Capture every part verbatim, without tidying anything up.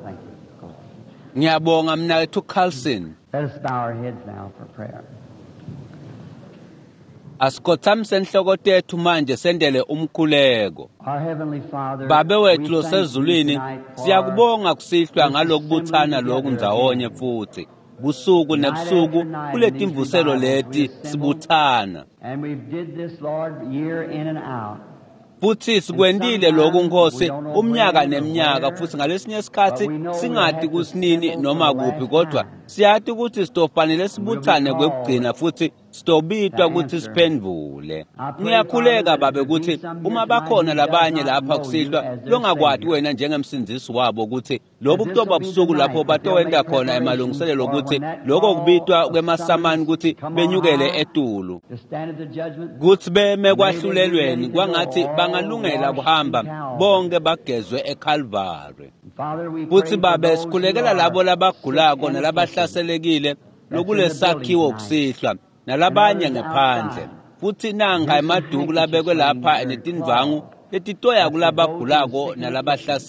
Thank you. Ngiyabonga mnaketfu Carlson. Let us bow our heads now for prayer. Asikhothamise inhloko tethu manje sendele umkhuleko. Our Heavenly Father, Babe we wethu thank you losezulwini, tonight for siyakubonga kusihlwa this ngalokubuthana assembly lokhu together ndzawonye again. futhi. Busuku Night nebusuku after night in these kuletimvuselo revivals we leti assemble, sibuthana. and we've did this, Lord, year in and out. Futhi And sikwentile lokhu sometimes we Nkosi don't know umnyaka when or neminyaka where, futhi ngalesinye but isikhathi we know we'll singati have to kusinini assemble for noma the kuphi last kodwa time. siyati ukuthi sitofanele And we'll be sibuthane called kwekugcina futhi to sitobitwa ukuthi answer. siphendvule. I pray, Father, Ngiyakhuleka that if babe there be ukuthi some here uma tonight bakhona who does labanye not lapha know you kusihlwa as their longakwati Savior, wena njengemsindzisi wabo ukuthi lobu that this kutoba will be the busuku lapho night that they'll batowenta make khona preparations emalungiselelo for ukuthi when that lokho call kubitwa of kwemasamani summons ukuthi come on benyukele high etulu. to stand at the judgment, Kutsi beme may they be kwahlulelweni ready to go, kwangathi all bangalungela washed in kuhamba Calvary. bonke bagezwe eCalvary. And Father, we Futhi pray for babe those who sikhulekela labo are sick labagulako and afflicted nalabahlaselekile that's in the building lokulesakhiwo tonight kusihlwa and nalabanye others ngephandle. outside. Futhi nanka Here's some emaduku handkerchiefs labekwe laying lapha here and netindvangu cloths letitoya that's for those who are kulabagulako sick and afflicted.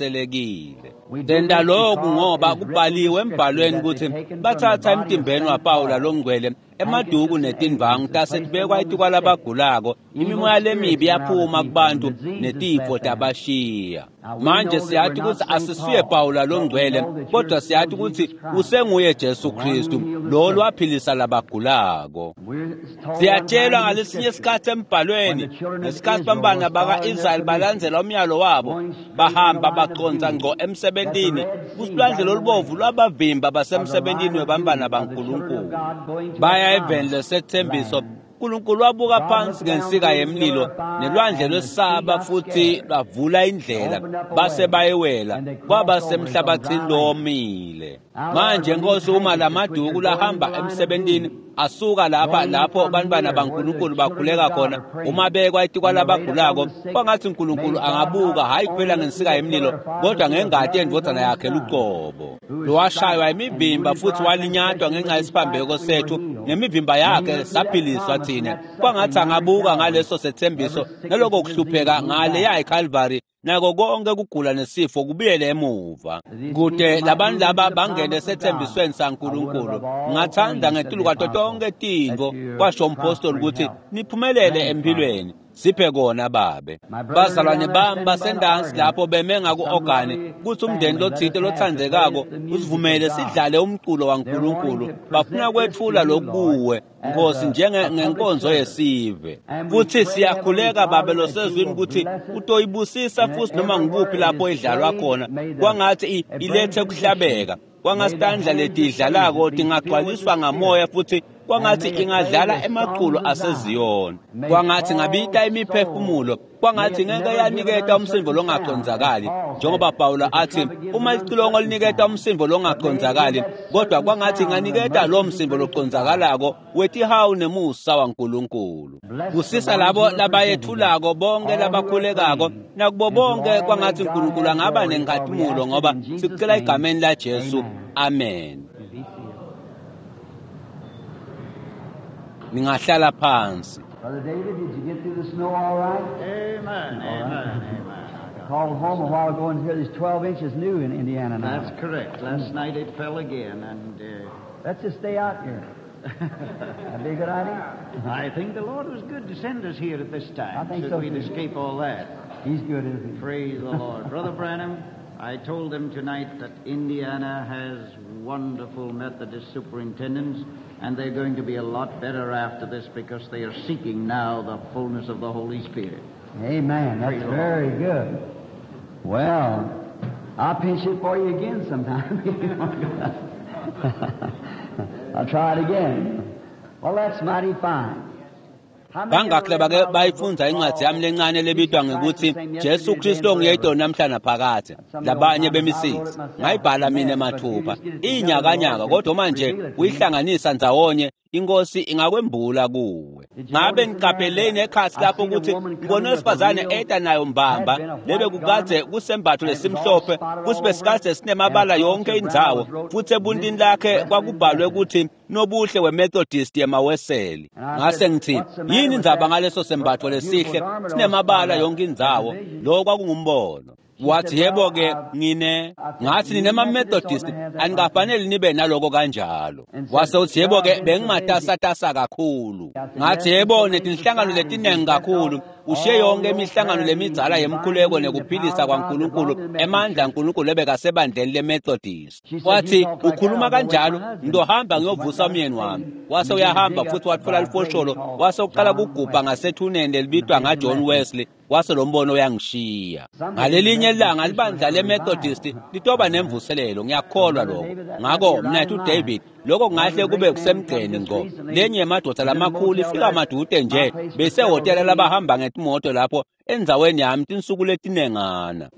nalabahlaselekile. We do Senta this lokhu because ngoba it is written in the kubhaliwe Scripture embhalweni that they ukuthi taken from the bathatha body of emtimbeni Saint waPawula Paul longcwele emaduku handkerchiefs and netindvangu aprons and tase placed them tibekwa on the sick. etikwalabagulako Evil imimoya lemibi spirits went out of yaphuma people and kubantu diseases netifo left them. tabashiya. Now we Manje know that we're siyati not ukuthi Saint asisuye Paul, Pawula but we longcwele know that you're kodwa still siyati ukuthi Jesus Christ, usenguye the Jesu one who Kristu healed the lo sick. lwaphilisa labagulako. We're told one Siyatshelwa time in the ngalesinye Scripture isikhathi when embhalweni the children of ngesikhathi Israel bantwana was following their baka-Israyeli commission, balandzela umyalo wabo going straight in the bahamba line of baconza duty, ngco that the emsebentini Red Sea kusilwandle got in the lolubovu way lwabavimba of the basemsebentini line of webantwana duty of the children of baNkulunkulu. God going to the Baya eveni promised lesethembiso land. uNkulunkulu wabuka God phansi looked down ngensika through the yemlilo pillar of fire nelwandle and the sea lwesaba got futhi scared. lwavula indlela Opened up a base way bayewela and they kwaba crossed over as on dry semhlabathini land. lowomile. Now, Lord, Manje when these Nkosi uma handkerchiefs which lamaduku are going in lahamba the line of emsebentini duty, asuka lapha going lapho from bantwana here where the baNkulunkulu children bakhuleka of God khona are praying, uma bekwa and etikwa they're laid upon labagulako the sick, kwangathi may uNkulunkulu God angabuka not hhayi kuphela only look ngensika through the yemlilo pillar of fire, kodwa but through the ngengati blood of his yendvodzana own yakhe Son, luqobo who was lowashaywa striped and imivimba wounded for futhi our walinyatwa transgressions, ngenxa with his stripes yesiphambeko we were sethu healed. ngemivimba May he yakhe look through that saphiliswa promise and thina that suffering kwangathi down to angabuka Calvary. ngaleso sethembiso Every sickness naloko and disease kuhlupheka move ngale back. ya eCalvary nako konke kugula nesifo kubuyele emuva That these kude people might labantu move into laba the bangene promise of God. esethembisweni I would saNkulunkulu above all ngingathanda things, said ngetulu the kwato apostle, tonke that tintfo you kwasho umpostoli prosper in ukuthi health. niphumelele Grant it, Father. empilweni siphe kona babe. My brethren Bazalwane down there bami standing by the basendansi organ, lapho beme some ngaku-ogani lovely kuthi umndeni family, let us lotsite have to play lotsandzekako us the music of usivumele God. sidlale umculo They're wanting waNkulunkulu to bafuna present this to kwetfula you, Lord, lokuwe as Nkosi a, njenge a public ngenkonzo service. yesive. And we Futhi pray, Heavenly siyakhuleka babe Father, that you losezwini will ukuthi bless it utoyibusisa and that futhi noma everywhere ngikuphi it lapho is idlalwa played, khona may the kwangathi i- it bring ilethe conviction. kuhlabeka May the kwangasitandla hands that plays letidlalako it be filled with the tingagcwaliswa ngamoya Spirit. futhi And kwangathi may it play ingadlala the emaculo songs of Zion. aseziyoni May kwangathi ngabita call souls. imiphefumulo May kwangathi it ngeke never give an yaniketa umsindo uncertain sound, as longacondzakali Paul said, njengoba Pawula if the athi trumpet gives uma an licilongo uncertain liniketa sound. umsindo But may it give longacondzakali that kodwa certain kwangathi sound of the inganiketa lo mercies and msindo grace of God. loconzakalako wetihawu nemusa waNkulunkulu. Bless the Busisa ones labo who are presenting it, labayethulako bonke all who are labakhulekako praying, nakubo and to bonke all may kwangathi God uNkulunkulu have angaba glory, for we nenkhatimulo ask it ngoba in Jesus' sikucela name. egameni laJesu. Amen. Amen. You be seated. Ningahlala phansi. Brother David, did you get through the snow all right? Amen, All right. amen, amen. Called home a while ago and here there's twelve inches new in Indiana now. That's correct. Last night it fell again, and uh, Let's just stay out here. That'd be a good idea. I think the Lord was good to send us here at this I time think so so we'd too. escape all that. He's good, isn't he? Praise the Lord. Brother Branham, I told them tonight that Indiana has wonderful Methodist superintendents, and they're going to be a lot better after this because they are seeking now the fullness of the Holy Spirit. Amen. That's Praise the Lord. very good. Well, I'll pinch it for you again sometime. I'll try it again. Well, that's mighty fine. How many ever Bangakhi read labake my little book bayifundza incwadzi yami called lencane lebitwa Jesus Christ the ngekuthi Same Jesu Yesterday, Today, Kristu and onguyedwa Forever? namhla naphakadze Some of the old labanye timers, I wrote bemisisi it myself. It's a ngayibhala mina mess, but you mathupha just get it together, the Lord iyinyakanyaka can kodwa manje reveal it to you. uyihlanganisa ndzawonye inkosi ingakwembula kuwe. Did you Ngabe notice in there niqapheleni that ekhasi I lapho seen a ukuthi woman ngibone coming with a wesifazane real eta nayo had mbamba been a lebe white kukadze garment kusembatho and it was all lesimhlophe spotted all futhi over besikadze and sinemabala across yonke her brow indzawo was wrote futhi ebuntini Miss lakhe Wesleyan kwakubhalwe Methodist. ukuthi nobuhle weMethodist yemaweseli. And I Ngase said, ngithi "What's the matter yini with indzaba that ngaleso sembatho beautiful lesihle garment all sinemabala spotted up?" yonke That's a indzawo vision. lo kwakungumbono. Wathi yebo-ke ngine ngathi ninema-Methodist anikafanele nibe naloko kanjalo. Wase uthi yebo-ke bengimatasatasa kakhulu. Ngathi yebo netinhlangano letinengi kakhulu, ushiye yonke imihlangano lemidzala yemkhuleko nekuphilisa kwaNkulunkulu, emandla aNkulunkulu ebekasebandleni leMethodist. Wathi ukhuluma kanjalo, ngizohamba ngiyovusa umyeni wami. Wase uyahamba futhi wathola lifosholo, wase uqala kugubha ngasethuneni lelibitwa ngaJohn Wesley. Wase lo mbono uyangishiya. Ngalelinye ilanga libandla leMethodist litoba nemvuselelo, ngiyakholwa lokho. Ngakho mnethu David, lokho kungahle kube kusemgceni ngqo. Lenye yemadoda lamakhulu ifika madude nje besehhotela labahamba ngetimoto lapho endzaweni yami tinsuku letinengana.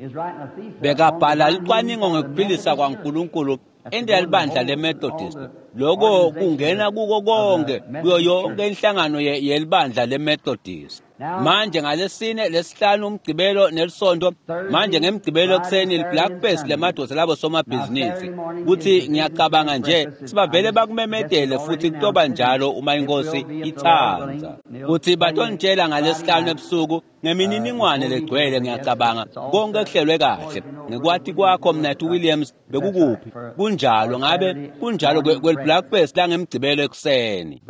Bekabhala licwaningo ngekuphilisa kwaNkulunkulu endlela libandla leMethodist. Lokho kungena kuko konke kuyo yonke inhlangano yelibandla leMethodist. Manje ngalesine, lesihlanu, umgcibelo nelisonto, manje ngemgcibelo ekuseni li-Black lemadoda labo somabhizinisi. Kuthi ngiyacabanga nje sibavele bakumemetele futhi kutoba njalo uma inkosi ithanda. Kuthi batonitshela ngalesihlanu ebusuku ngemininingwane legcwele, ngiyacabanga konke kuhlelwe kahle. Ngekwati kwakho mnethu Williams bekukuphi? Kunjalo ngabe kunjalo kwel-Black langemgcibelo ekuseni.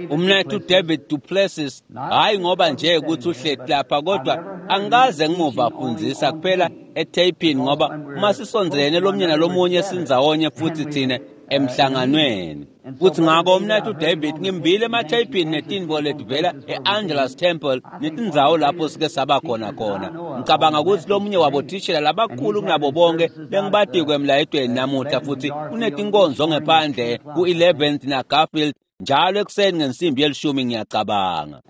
Umnethu David Duplessis, hayi ngoba nje ukuthi uhleti lapha, kodwa angikaze ngimuva afundzisa kuphela etheyipini, ngoba uma sisondelene lomnye nalomunye sindzawonye futhi thine emhlanganweni. Kuthi ngako umnethu David ngimbile ematheyipini netinvo letivela e-Angelus Temple netindzawo lapho sike saba khona khona. Ngicabanga ukuthi lomunye wabo thishela labakhulu kunabo bonke bengibatikwe emlayetweni namuhla, futhi unetinkonzo ngephandle ku-eleventh na Garfield njalo ekuseni ngensimbi yelishumi ngiyacabanga.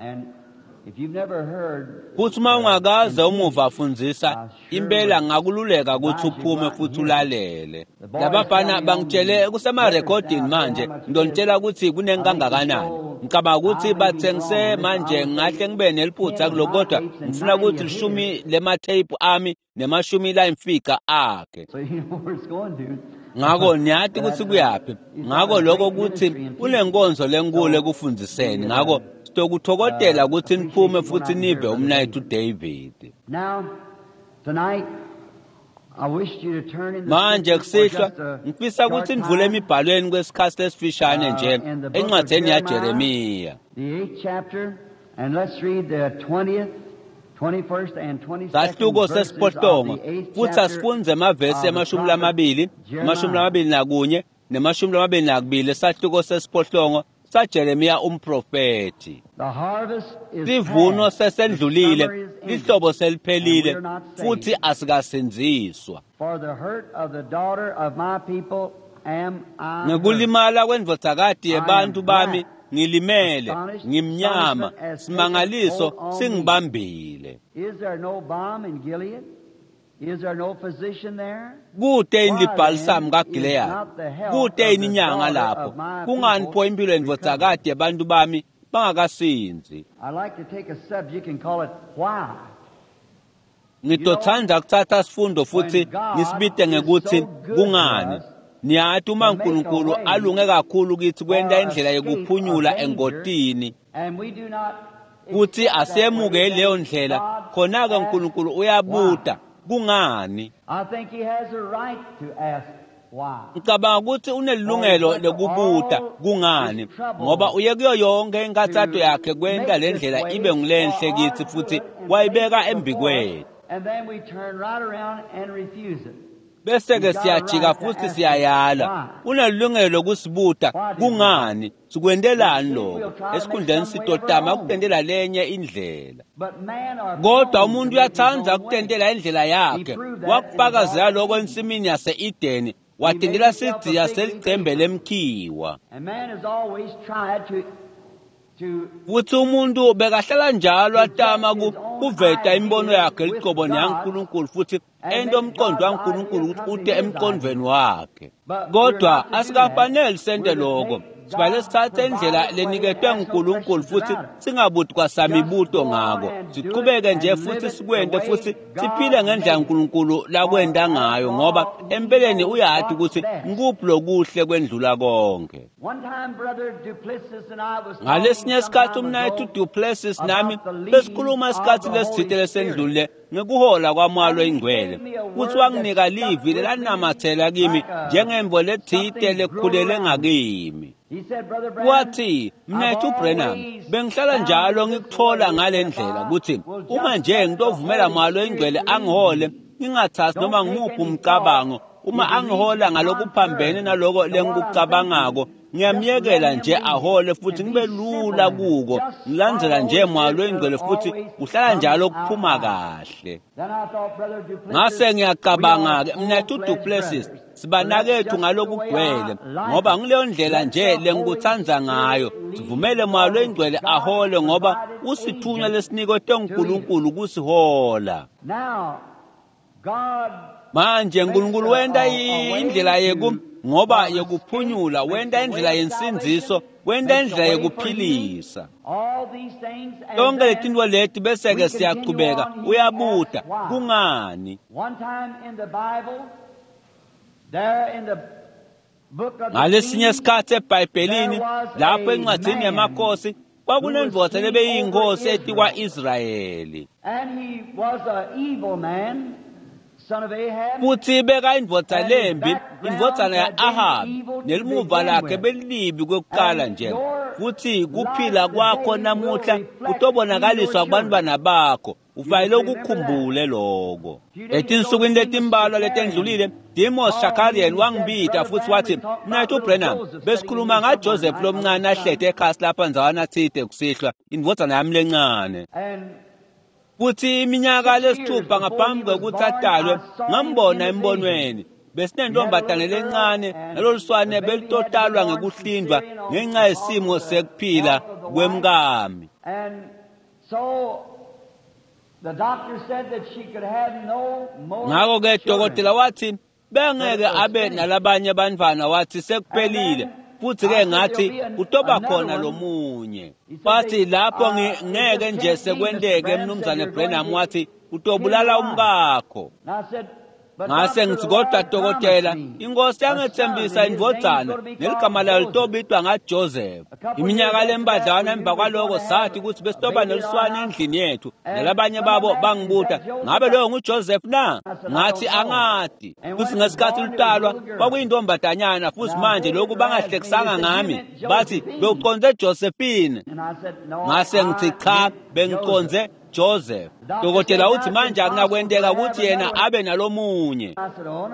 Futhi uma ungakaze umuva afundzisa, impela ngakululeka ukuthi uphume futhi ulalele. Labafana bangitshele kusemarekhodini manje, ngidonitshela ukuthi kunengi kangakanani. Ngicabanga ukuthi bathengise manje, ngahle ngibe neliphutha kuloko, kodwa ngifuna ukuthi lishumi lematheyiphu ami nemashumi layimfica akhe. Ngako niyati ukuthi kuyaphi. Ngako lokho ukuthi unenkonzo lenkulu ekufundziseni. Ngako sitokuthokodela ukuthi niphume futhi nive umnayethu David. Manje kusihlwa ngifisa ukuthi nivule emibhalweni kwesikhathi lesifishane nje encwadzeni yaJeremiya. Sahluko sesiphohlongo futhi asifundze emavesi emashumi lamabili, emashumi lamabili nakunye nemashumi lamabili nakubili, sahluko sesiphohlongo saJeremiya umprofethi. Sivuno sesendlulile, lihlobo seliphelile, futhi asikasindziswa. Ngekulimala kwendvodzakati yebantu bami ngilimele, ngimnyama, simangaliso singibambile. Kute yini libhalisamu kaGileyadi? Kute yini inyanga lapho? Kungani pho impilo yendvodzakati yebantu bami bangakasinzi? Ngitotsandza kutsatsa sifundo futhi ngisibite ngekuthi kungani. Niyati uma uNkulunkulu alunge kakhulu kithi kwenta indlela yekuphunyula engotini, kuthi asemukele leyo ndlela, khona-ke uNkulunkulu uyabuta kungani. Ngicabanga ukuthi unelungelo lokubuta kungani, ngoba uye kuyo yonke inkathato yakhe kwenta le ndlela ibe ngulenhle kithi futhi wayibeka embikwethu. Bese-ke siyajika futhi siyayala. Unelungelo lokusibuta kungani, sikwentelani lokho? Esikhundleni sitotama ukutentela lenye indlela. Kodwa umuntu uyatsandza ukutentela indlela yakhe. Wakufakazela lokho ensimini yase-Edeni, watentela sidziya selicembe lemkhiwa. Futhi umuntu bekahlala njalo atama kuveta imibono yakhe licobo neyaNkulunkulu futhi ento umqondo waNkulunkulu ukuthi ute emqondweni wakhe. Kodwa asikafanele sente lokho. Sifanele sithathe indlela leniketwe nguNkulunkulu futhi singabuti kwasamibuto ngako. Siqhubeke nje futhi sikwente futhi siphile ngendlela uNkulunkulu lakwenta ngayo, ngoba empeleni uyati ukuthi ngikuphi lokuhle kwendlula konke. Ngalesinye isikhathi umnayethu Duplessis nami besikhuluma isikhathi lesithile lesendlule ngekuhola kwaMoya loyiNgcwele, futhi wanginika livi lelanamathela kimi njengemvo lethite lekhulele ngakimi. Wathi, mnethu Branham, bengihlala njalo ngikuthola ngale ndlela ukuthi uma nje ngitovumela Moya loyiNgcwele angihole, ngingathathi noma ngimuphi umcabango, uma angihola ngalokuphambene naloko lengikucabangako, ngiyamyekela nje ahole futhi ngibe lula kuko, ngilandzela nje Moya loyiNgcwele futhi kuhlala njalo kuphuma kahle. Ngase ngiyacabanga-ke, mnethu Duplessis, sibanakethu ngalokugcwele, ngoba ngileyo ndlela nje lengikutsandza ngayo. Sivumele Moya loyiNgcwele ahole, ngoba usithunywa lesiniketwe nguNkulunkulu kusihola. Manje uNkulunkulu wenta indlela yeku ngoba yekuphunyula, wenta indlela yensindziso, wenta indlela yekuphilisa. Tonke letintfo leti bese-ke siyachubeka, uyabuta kungani? Ngalesinye isikhathi eBhayibhelini, lapho encwadzini yamakhosi, kwakunendvodza lebeyiyinkosi etikwa-Israyeli. Futhi beka indvodza lembi, indvodzana ya-Ahabi, nelimuva lakhe belilibi kwekuqala nje. Futhi kuphila kwakho namuhla kutobonakaliswa kubantwana bakho. Ufanele ukukhumbule lokho. Etinsukwini letimbalwa letendlulile, Demos Shakarian wangibita futhi wathi, mnethu Branham, besikhuluma ngaJoseph lomncane ahlete ekhasi lapha ndzawana tsite kusihlwa, indvodzana yami lencane. Futhi iminyaka lesithupha ngaphambi kwekuthi atalwe, ngambona embonweni. Besinentombazane lencane naloluswane belitotalwa ngekuhlindwa ngenxa yesimo sekuphila kwemkami. Ngakho-ke dokotela wathi bengeke abe nalabanye abantwana, wathi sekuphelile. Futhi-ke ngathi kutoba khona lomunye. Wathi lapho ngeke nje sekwenteke, mnumzane Branham, wathi utobulala umkakho. Ngase ngithi kodwa dokotela, inkosi yangethembisa indvodzana neligama layo litobitwa ngaJoseph. Iminyaka lembadlwana emva kwaloko sathi ukuthi besitoba neluswane endlini yethu, nalabanye babo bangibuta, ngabe loyo nguJoseph na? Ngathi angati. Futhi ngesikhathi lutalwa kwakuyintombazanyana, futhi manje lokhu bangahlekisanga ngami, bathi bewuconze Josephine. Ngase ngithi cha, bengiconze Joseph. Dokotela uthi manje akunakwenteka ukuthi yena abe nalomunye.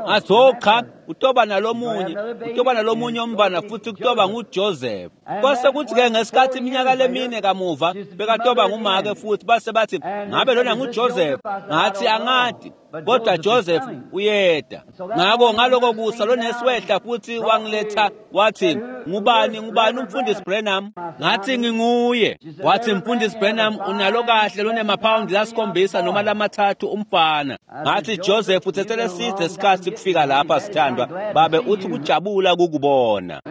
Ngathi oh cha, utoba nalomunye, utoba nalomunye umntwana futhi kutoba nguJoseph. Kwase kuthi-ke ngesikhathi iminyaka lemine kamuva bekatoba ngumake futhi base bathi ngabe lona nguJoseph? Ngathi angati, kodwa Joseph uyeda. Ngako ngaloko kusa lonesi wehla futhi wangiletha wathi, ngubani ngubani umfundisi Branham? Ngathi nginguye. Wathi mfundisi Branham unalo kahle lonemaphawundi lasikhombisa noma lamathathu umfana. Ngathi Joseph uthethele side isikhathi kufika lapha sithandwa, babe uthi kujabula kukubona.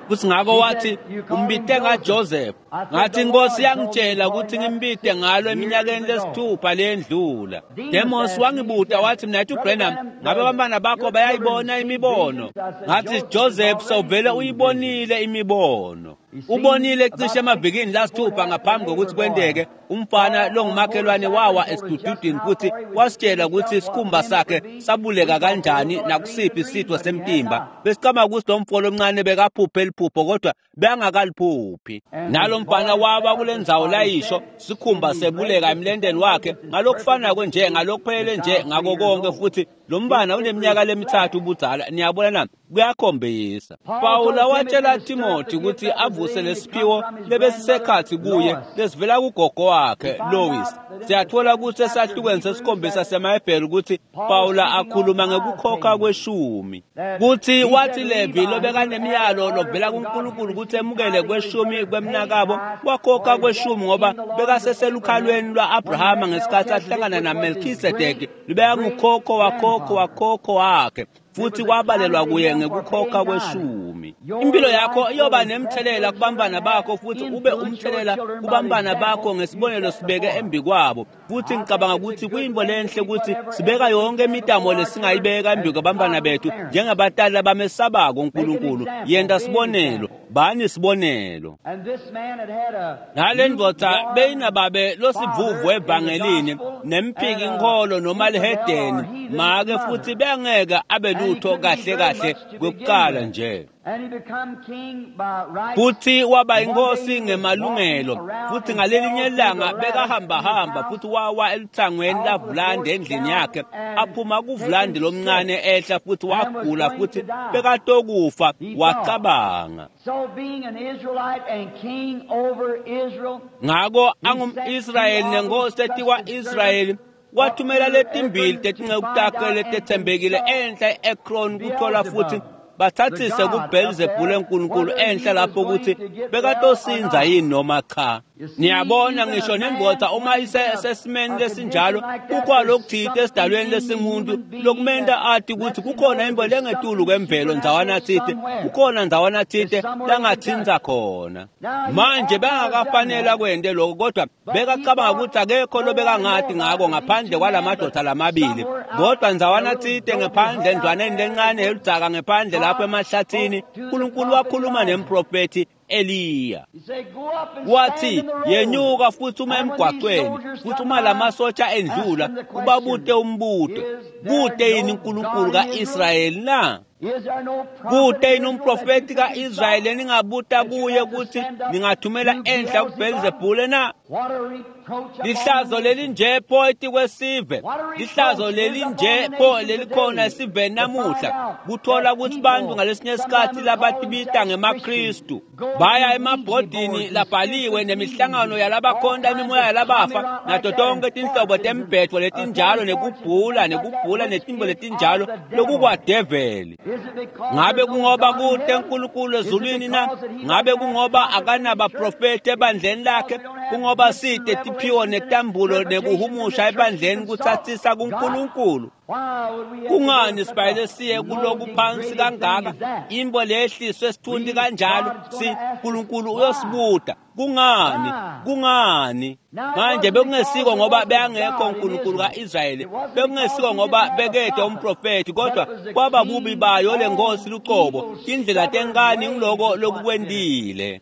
Futhi ngako wathi umbite ngaJoseph. Ngathi inkosi yangitshela ukuthi ngimbite ngalo eminyakeni lesithupha lendlula. Demos wangibuta wathi mnethu Branham, ngabe abantwana bakho bayayibona imibono? Ngathi Joseph sewuvele uyibonile imibono. Ubonile cishe emavikini lasithupha ngaphambi kokuthi kwenteke, umfana longumakhelwane wawa esidududini futhi wasitshela ukuthi isikhumba sakhe sabuleka kanjani nakusiphi isitho semtimba. Besicabanga ukuthi lo mfo lomncane bekaphuphe liphupho kodwa bengakaliphuphi. Nalo mfana wawa kule ndzawo layisho, sikhumba sebuleka emlendeni wakhe ngalokufanako nje, ngalokuphelele nje ngako konke, futhi lo mfana uneminyaka lemithathu ubudzala. Niyabona na? Kuyakhombisa. Pawula watshela Timothy ukuthi avuse lesiphiwo lebesisekhathi kuye lesivela kugogo wakhe Lois. Siyathola ukuthi esahlukweni sesikhombisa semaHebheru ukuthi Pawula akhuluma ngekukhokha kweshumi, kuthi wathi Levi lobekanemiyalo lovela kuNkulunkulu ukuthi emukele kweshumi kwemnakabo, wakhokha kweshumi ngoba bekaseselukhalweni lwa-Abrahama ngesikhathi ahlangana naMelkisedeki, lubekangukhokho wakhokho wakhokho wakhe. Futhi kwabalelwa kuye ngekukhokha kweshumi. Impilo yakho iyoba nemthelela kubantwana bakho futhi ube umthelela kubantwana bakho ngesibonelo sibeke embi kwabo. Futhi ngicabanga ukuthi kuyinto lenhle ukuthi sibeka yonke imitamo lesingayibeka embi kwabantwana bethu njengabatali abamesabako uNkulunkulu. Yenta sibonelo, bani sibonelo. Nale ndvodza beyinababe losivuvu evangelini nemphiki inkholo noma lihedeni make futhi bengeke abe lutho kahle kahle kwekuqala nje. Futhi waba inkosi ngemalungelo futhi ngalelinye ilanga bekahambahamba futhi wawa eluthangweni lavulandi endlini yakhe aphuma kuvulandi lomncane ehla futhi wagula futhi bekatokufa wacabanga. Ngako angum-Israyeli nenkosi etikwa-Israyeli wathumela letimbili tetinceku takhe letetsembekile enhla e-Ekron kuthola futhi bathathise kuBhelzebhule uNkulunkulu enhla lapho ukuthi bekatosinza yini noma cha. Niyabona ngisho nendvodza uma isesimeni lesinjalo kukhona lokuthite esidalweni lesingumuntu lokumenta ati ukuthi kukhona into lengetulu kwemvelo ndzawana thite, kukhona ndzawana thite langathinza khona. Manje bengakafanele kwente lokho kodwa bekacabanga ukuthi akekho lobekangati ngako ngaphandle kwalamadoda lamabili. Kodwa ndzawana thite ngephandle endlwaneni lencane yeludzaka ngephandle lapho emahlathini uNkulunkulu wakhuluma nemprofethi Eliya. Wathi yenyuka futhi uma emgwaqweni futhi uma lamasotsha endlula ubabute umbuto, kute yini uNkulunkulu kaIsrayeli na? Kute yini umprofeti kaIsrayeli eningabuta kuye ukuthi ningathumela enhla kuBhelzebhule na? Lihlazo lelinje pho etikwesive, lihlazo lelinje pho lelikhona esiveni namuhla, kuthola ukuthi bantu ngalesinye isikhathi labatibita ngemaKristu baya emabhodini labhaliwe nemihlangano yalabakhonta imimoya yalabafa nato tonke tinhlobo tembhedvo letinjalo nekubhula nekubhula netimbo letinjalo lokukwadeveli. Ngabe kungoba kute uNkulunkulu ezulwini na? Ngabe kungoba akanabaprofeti ebandleni lakhe? Kungoba side tiphiwo netambulo nekuhumusha ebandleni kuthathisa kuNkulunkulu? Kungani sibayele siye kuloku phansi kangaka? Imbo lehliswe esithunti kanjalo si uNkulunkulu uyosibuta. Kungani? Kungani? Manje bekungesiko ngoba beyangekho uNkulunkulu kaIsrayeli, bekungesiko ngoba bekede umprofeti, kodwa kwaba bubi bayo lenkosi lucobo, indlela tenkani ngiloko lokukwendile.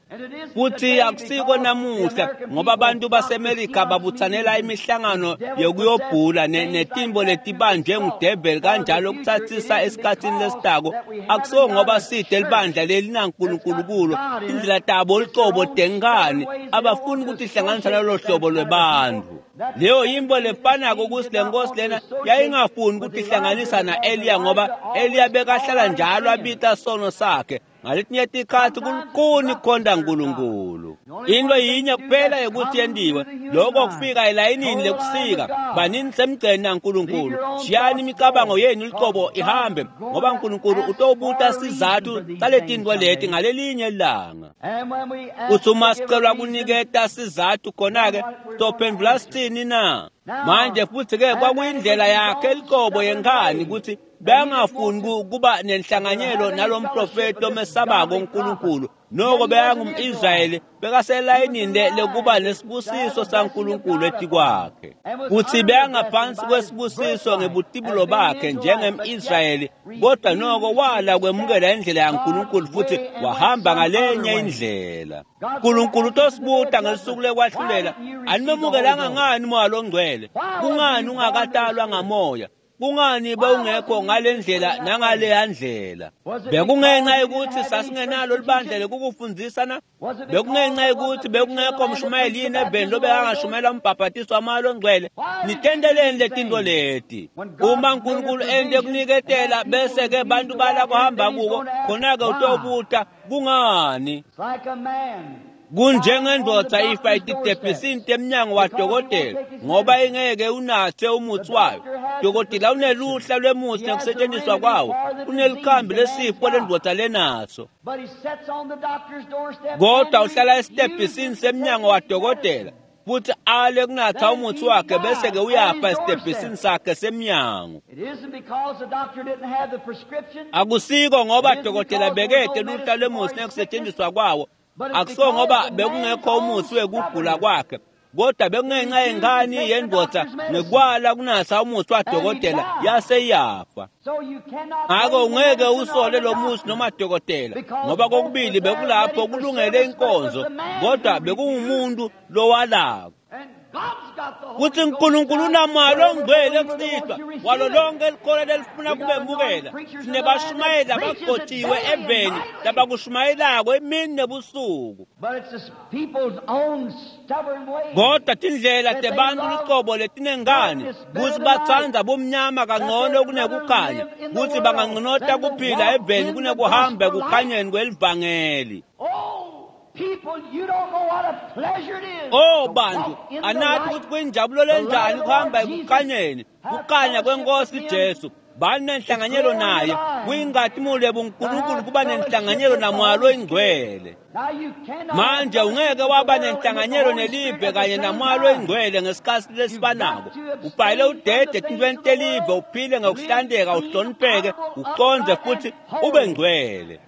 Futhi akusiko namuhla ngoba abantu baseMelika babuthanela imihlangano yokuyobhula netimbo letibanjwe ngudeveli kanjalo ukuthathisa esikhathini lesitako. Akusiko ngoba side libandla lelinaNkulunkulu kulo, indlela tabo lucobo tenkani abafuni ukuthi ihlanganisa nalolo hlobo lwebantu. Leyo yimbo lefanako ukuthi le nkosi lena yayingafuni ukuthi ihlanganisa na-Eliya ngoba Eliya bekahlala njalo abita sono sakhe. Ngaletinye tikhathi kulukhuni kukhonta uNkulunkulu. Into yinye kuphela yokuthi yendiwe lokho kufika elayinini lekusika banini semgceni naNkulunkulu. Shiyani imicabango yenu lucobo ihambe ngoba uNkulunkulu utobuta sizathu saletinto leti ngalelinye ilanga. Uthi uma sicelwa kuniketa sizathu khona-ke sitophendula sithini na? Manje futhi-ke kwakuyindlela yakhe lucobo yenkani ukuthi bengafuni kuba nenhlanganyelo nalomprofeti omesabako uNkulunkulu. Noko bekangum-Israyeli bekaselayinini lekuba nesibusiso saNkulunkulu etikwakhe. Kuthi bekangaphansi kwesibusiso ngebutibulo bakhe njengem-Israyeli, kodwa noko wala kwemukela indlela yaNkulunkulu futhi wahamba ngalenye indlela. uNkulunkulu utosibuta ngelisuku lekwahlulela, animemukelanga ngani umoya longcwele? Kungani ungakatalwa ngamoya? Kungani bewungekho ngale ndlela nangaleya ndlela? Bekungenxa yokuthi sasingenalo libandla lekukufundisa na? Bekungenxa yokuthi bekungekho mshumayeli yini eveni lobekangashumayela umbhabhatiso wamoya longcwele? Nitenteleni letinto leti. Uma uNkulunkulu ente kuniketela bese-ke bantu bala kuhamba kuko, khona-ke utobuta kungani? Kunjengendvodza ifa ititebhisini temnyango wadokotela ngoba ingeke unathe umuthi wayo. Dokotela uneluhla lwemuthi nekusetshenziswa kwawo, unelikhambi lesifo lendvodza lenaso. Kodwa uhlala esitebhisini semnyango wadokotela Futhi ale kunatha umuthi wakhe bese-ke uyafa esitebhisini sakhe semnyango. Akusiko ngoba dokotela bekete luhla lwemuthi nekusetshenziswa kwawo, akusiwo ngoba bekungekho umuthi wekugula kwakhe, kodwa bekungenxa yengane yendoda nekwala kunatha umuthi wadokotela yase iyafa. Ngakho ungeke usole lo muthi noma dokotela, ngoba kokubili bekulapho kulungele inkonzo, kodwa bekungumuntu lowalako. Kuthi uNkulunkulu unamalo ongcwele kusihlwa walo lonke elikhola lelifuna kubemukela. Sinebashumayeli abagcotshiwe eveni labakushumayelako emini nebusuku, kodwa tindlela tebantu lucobo letinengane kutsi batsandza bumnyama kangcono kunekukhanya, kutsi banganconota kuphila eveni kunekuhamba ekukhanyeni kwelivangeli. Oh bantu, anathi ukuthi kuyinjabulo lenjani kuhamba ekukhanyeni, kukhanya kwenkosi Jesu. Bani nenhlanganyelo naye, kuyinkazimulo yebuNkulunkulu kuba nenhlanganyelo naMoya loyiNgcwele. Manje ungeke waba nenhlanganyelo nelive kanye naMoya loyiNgcwele ngesikhathi lesifanako. Ubhale udede etintweni telive, uphile ngokuhlanteka, uhlonipheke, uconze futhi ube ngcwele.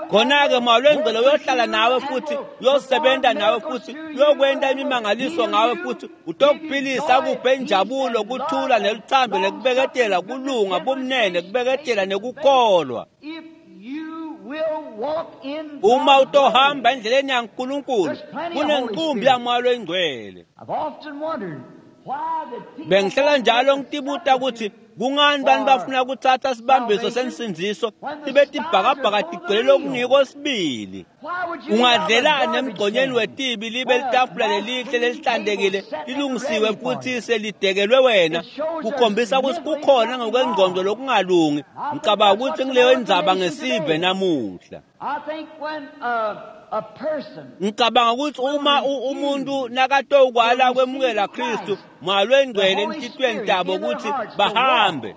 Khona-ke Moya loyiNgcwele uyohlala nawe futhi uyosebenza nawe futhi uyokwenta imimangaliso ngawe futhi utokuphilisa, akuphe injabulo, kuthula neluthando nekubeketela, kulunga, bumnene, kubeketela nekukholwa. Uma utohamba endleleni yaNkulunkulu, kunenqumbi yaMoya loyiNgcwele. Bengihlala njalo ngitibuta ukuthi kungani bantu bafuna kuthatha sibambiso sensindziso tibe tibhakabhaka tigcwele lokungiko sibili. Ungadlelani emgqonyeni wetibi libe litafula lelihle lelihlantekile lilungisiwe futhi selidekelwe wena, kukhombisa ukuthi kukhona ngokwengqondo lokungalungi. Ngicabanga ukuthi ngileyo indzaba ngesive namuhla. Ngicabanga ukuthi uma umuntu nakatokwala kwemukela Kristu, Moya loyiNgcwele enhlitiyweni tabo ukuthi bahambe,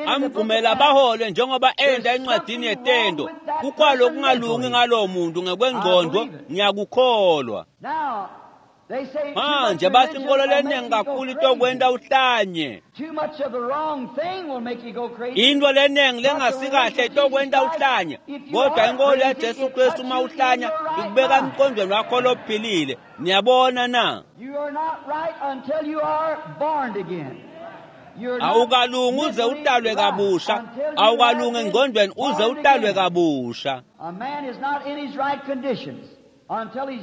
amvumela bahole njengoba enda encwadini yetendo. Kukhona okungalungi ngalowo muntu ngekwengqondo, ngiyakukholwa. Manje bathi inkolo leningi kakhulu itokwenta uhlanye. Into leningi lengasikahle itokwenta uhlanye, kodwa inkolo yaJesu Kristu uma uhlanya ikubeka emqondweni wakho lophilile. Niyabona na? Awukalungi uze utalwe kabusha, awukalungi engqondweni uze utalwe kabusha.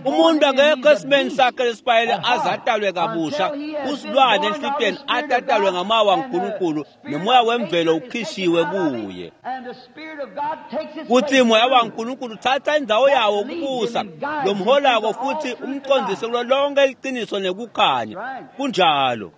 Umuntu akekho esimeni sakhe lesipayele aze atalwe kabusha, usilwane enhlitiyweni atatalwe ngamoya waNkulunkulu, nomoya wemvelo ukhishiwe kuye. Kuthi moya waNkulunkulu uthatha indzawo yawo kubusa lomholako futhi umcondzise kulo lonke iqiniso nekukhanya. Kunjalo.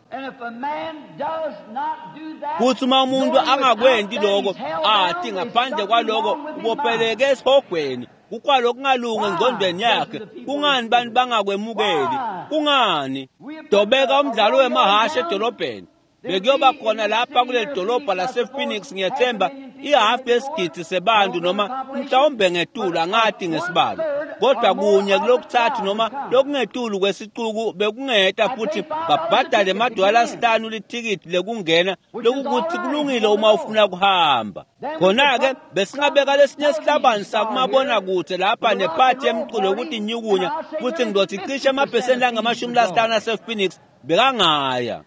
Kuthi uma umuntu angakwenti lokho, athi ngaphandle kwaloko ubopheleke esihogweni, kukwalo okungalungi engqondweni yakhe. Kungani bantu bangakwemukeli? Kungani? Dobeka umdlalo wemahashe edolobheni. Bekuyoba khona lapha kuleli dolobha lase-Phoenix, ngiyethemba ihafu yesigidi sebantu noma mhlawumbe ngetulu, angati ngesibalo, kodwa kunye kulokuthathu noma lokungetulu kwesicuku bekungeta futhi babhadale amadola asihlanu lithikithi lekungena, lokukuthi kulungile uma ufuna kuhamba. Khona-ke besingabeka lesinye isihlabani sakumabonakude lapha nephathi yemculo yokuthi inyukunya, futhi ngizothi cishe amaphesenti angamashumi lasihlanu ase-Phoenix bekangaya.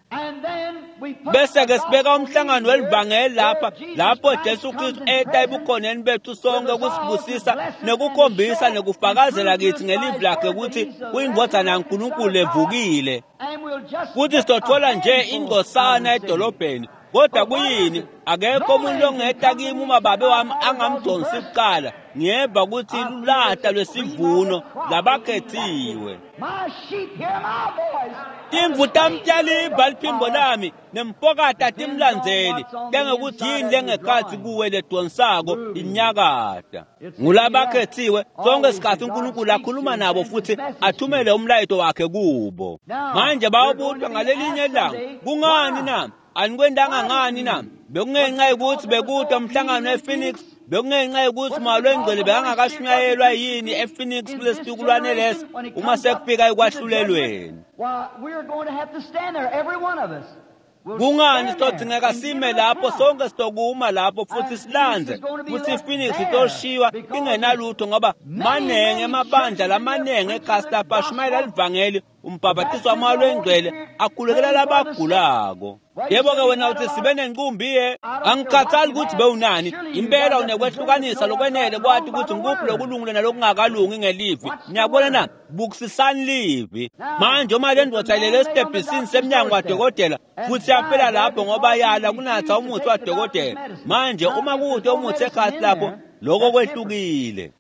Bese-ke sibeka umhlangano welivangeli lapha, lapho Jesu Kristu eta ebukhoneni bethu sonke ukusibusisa nekukhombisa nekufakazela kithi ngelivi lakhe ukuthi uyindvodzana yaNkulunkulu evukile. Kuthi sizothola nje ingcosana edolobheni. Kodwa kuyini? Akekho umuntu ongeta kimi uma babe wami angamdonsi kuqala. Ngiyeva ukuthi lulata lwesivuno labakhethiwe. Timvu tami tiyaliva liphimbo lami, nempokata timlandzeli, lengekuthi yini lengekhatsi kuwe ledonsako inyakata. Ngulabakhethiwe sonke isikhathi uNkulunkulu akhuluma nabo futhi athumele umlayeto wakhe kubo. Manje bayobutwa ngalelinye ilanga. Kungani na? Anikwentanga ngani na? Bekungenxa yokuthi bekude umhlangano ePhoenix Bekungenxa yokuthi Moya loNgcwele bekangakashunyayelwa yini ePhoenix kulesitukulwane lesi uma sekufika ekwahlulelweni. Kungani sitodingeka sime lapho sonke sitokuma lapho futhi silandze futhi iPhoenix itoshiywa ingenalutho ngoba manenge emabandla lamanenge ekhasi lapha ashumayela livangeli umbhabhatiso waMoya loNgcwele akhulekela labagulako. Yebo-ke wena uthi sibe nenqumbi ye angikhathali ukuthi bewunani impela unekwehlukanisa lokwenele kwati ukuthi ngikuphi lokulungile nalokungakalungi ngelivi. Niyabona na bukisisani livi manje uma le ndoda ilele esitebhisini semnyango wadokotela futhi yafela lapho ngoba yala kunatha umuthi wadokotela. Manje uma kude umuthi ekhasi lapho lokho kwehlukile.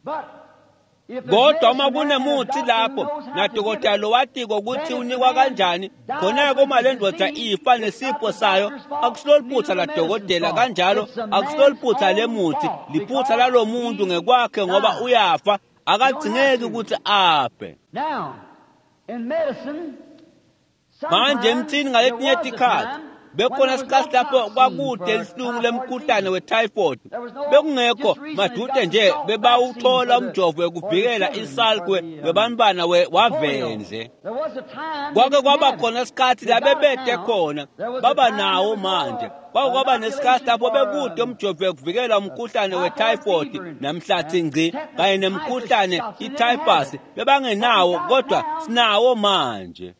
Kodwa uma kunemuthi lapho nadokotela lo watiko ukuthi unikwa kanjani khona-ke uma le ndoda ifa nesifo sayo akusilo liphutha ladokotela kanjalo akusilo liphutha lemuthi liphutha lalo muntu ngekwakhe ngoba uyafa akadzingeki ukuthi afe. Manje emthini ngaletinye tikhatsi bekhona sikhathi lapho kwakude lihlungu lemkhuhlane we-typhoid bekungekho madude nje bebawuthola umjovo wekuvikela isalkwe webantwana wavendle. Kwake kwaba khona isikhathi la bebede khona baba nawo manje. Kwake kwaba nesikhathi lapho bekude umjovo wekuvikela umkhuhlane we-typhoid namhlathi ngci kanye nemkhuhlane i-typhus bebangenawo kodwa sinawo manje.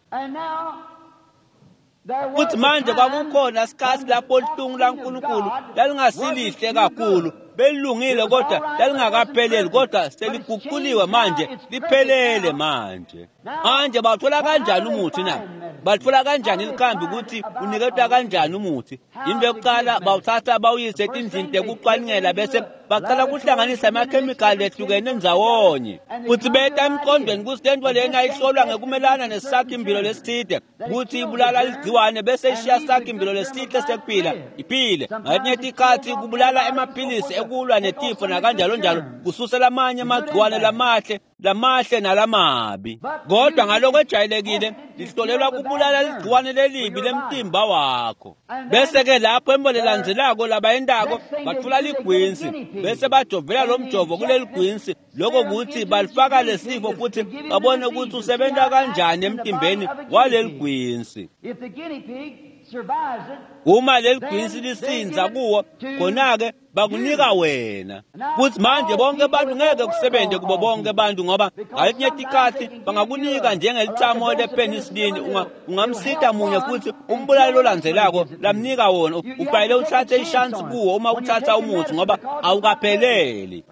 Futhi manje kwakukhona isikhathi lapho lihlungu laNkulunkulu lalingasilihle kakhulu belilungile kodwa lalingakapheleli kodwa seliguquliwe manje liphelele manje. Manje bawuthola kanjani umuthi na? Bathola kanjani likhambi ukuthi uniketwa kanjani umuthi? Into yokuqala bawuthatha bawuyise etindlini tekucwaningela bese baqala kuhlanganisa amakhemikhali ehlukene ndzawonye futhi beta emqondweni ukuthi le nto lena ihlolwa ngekumelana nesakhimbilo lesithide ukuthi ibulala ligciwane bese ishiya sakhimbilo lesihle sekuphila iphile. Ngetinye tikhatsi kubulala emaphilisi ekulwa netifo nakanjalo njalo kususela amanye amagciwane lamahle lamahle nalamabi. Kodwa ngaloko ejwayelekile lihlolelwa kubulala ligciwane lelibi lemtimba wakho. Bese-ke lapho embo lelandzelako labayendako batfula ligwinsi bese bajovela lo mjovo kuleli gwinsi lokho kuthi balifaka lesifo futhi babone ukuthi usebenta kanjani emtimbeni waleli gwinsi. Uma leli gwinsi lisinza kuwo khona-ke bakunika wena. Futhi manje bonke abantu ngeke kusebenze kubo bonke abantu ngoba ngaletinye tikhatsi bangakunika njengelithamo lepenicillin ungamsita munye futhi umbulali lolandzelako lamnika wona ufanele uthathe ishansi kuwo uma uthatha umuthi ngoba awukapheleli.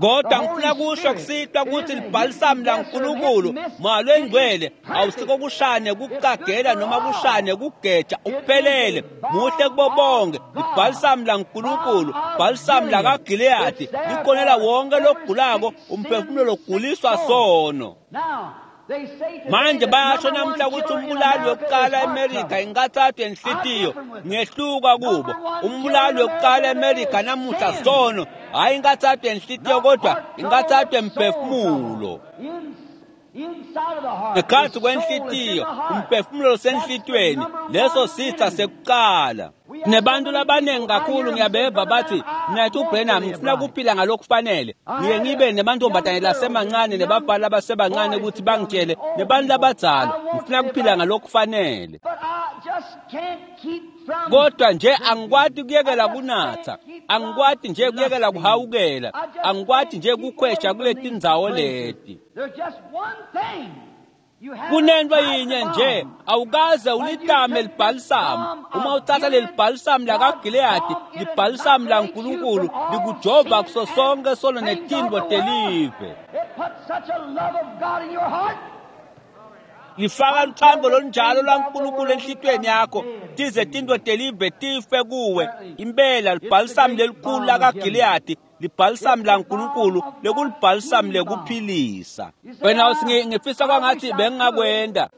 Kodwa ngifuna kusho kusitwa ukuthi libhalisamu laNkulunkulu Moya loNgcwele awusiko kushane kuqagela noma kushane kugeja uphelele muhle kubo bonke. Libhalisamu laNkulunkulu bhalisamu lakaGileyadi likhonela wonke logulako umphefumulo loguliswa sono. Manje bayasho namhla ukuthi umbulali wokuqala eMerika inkathathu yenhlitiyo ngehluka kubo. Umbulali wokuqala eMerika namuhla sono hhayi inkathathu yenhlitiyo kodwa inkathathu yemphefumulo. Ngekhathi kwenhlitiyo umphefumulo senhlitiyweni leso sitha sekuqala. Nebantu labaningi kakhulu ngiyabeva bathi mnethu uBrenham ngifuna ukuphila ngalokufanele ngiye ngibe nemantombazane lasemancane nebafana labasebancane ukuthi bangitshele nebantu labadzala ngifuna ukuphila ngalokufanele. Kodwa nje angikwati kuyekela kunatha angikwati nje kuyekela kuhawukela angikwati nje kukhwesha kule tindzawo leti. Kunento yinye nje awukaze ulitame libhalisamu. Uma uthatha leli bhalisamu lakaGileyadi libhalisamu laNkulunkulu likujova kuso sonke sono netintfo telive. Lifaka luthando lonjalo lwaNkulunkulu enhlitiyweni yakho tize tintfo telive tife kuwe. Impela libhalisamu lelikhulu lakaGileyadi libhalisamu laNkulunkulu lekulibhalisamu lekuphilisa. Wena uthi ngifisa kwangathi bengingakwenda.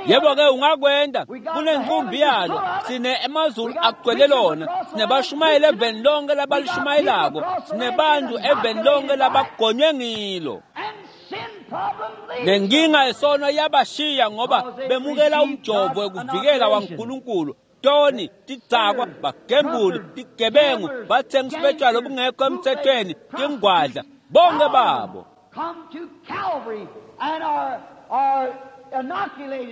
Yebo-ke ungakwenda kunenkumbi yalo sine emazulu agcwele lona sinebashumayeli eveni lonke labalishumayelako sinebantu eveni lonke labagonywe ngilo. Lenkinga yesono yabashiya ngoba bemukela umjovo wekuvikela waNkulunkulu. Toni, tidzakwa, bagembuli, tigebengu, batsengisi betjwala obungekho emthethweni, tingwadla, bonke babo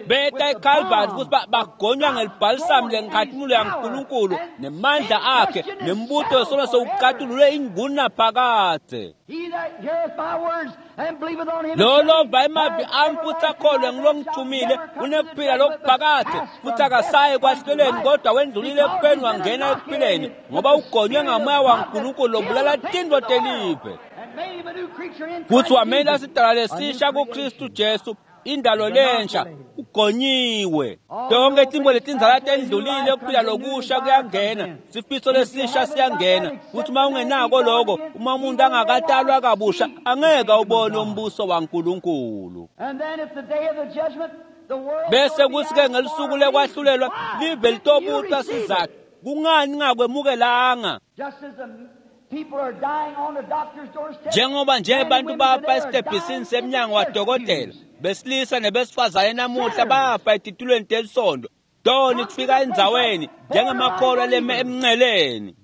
beta eKalvari kutsi bagonywa ngelibhalisamu lenkhatimulo yaNkulunkulu nemandla akhe nembuto wesono sewucatululwe ingunaphakadze. Lo lova emavi ami futsi akholwe ngulongithumile unekuphila lokuphakadze futsi akasayi ekwahlulelweni kodwa wendlulile ekufeni wangena ekuphileni ngoba ugonywe ngamoya waNkulunkulu lobulala tintfo telive. Futsi wamela sidalwa lesisha kuKristu Jesu, indalo lensha, ugonyiwe. Tonke tintfo letindzala tendlulile, kuphila lokusha kuyangena, sifiso lesisha siyangena. Futhi uma ungenako lokho, uma umuntu angakatalwa kabusha, angeke ubone umbuso waNkulunkulu. Bese kuthi-ke ngelusuku lekwahlulelwa live litobuta sizatfu kungani ngakwemukelanga. Njengoba nje abantu bafa esitebhisini semnyango wadokotela, besilisa nebesifazane namuhla bafa etitulweni telisondo. Toni kufika endzaweni njengemakholwa leme emnceleni.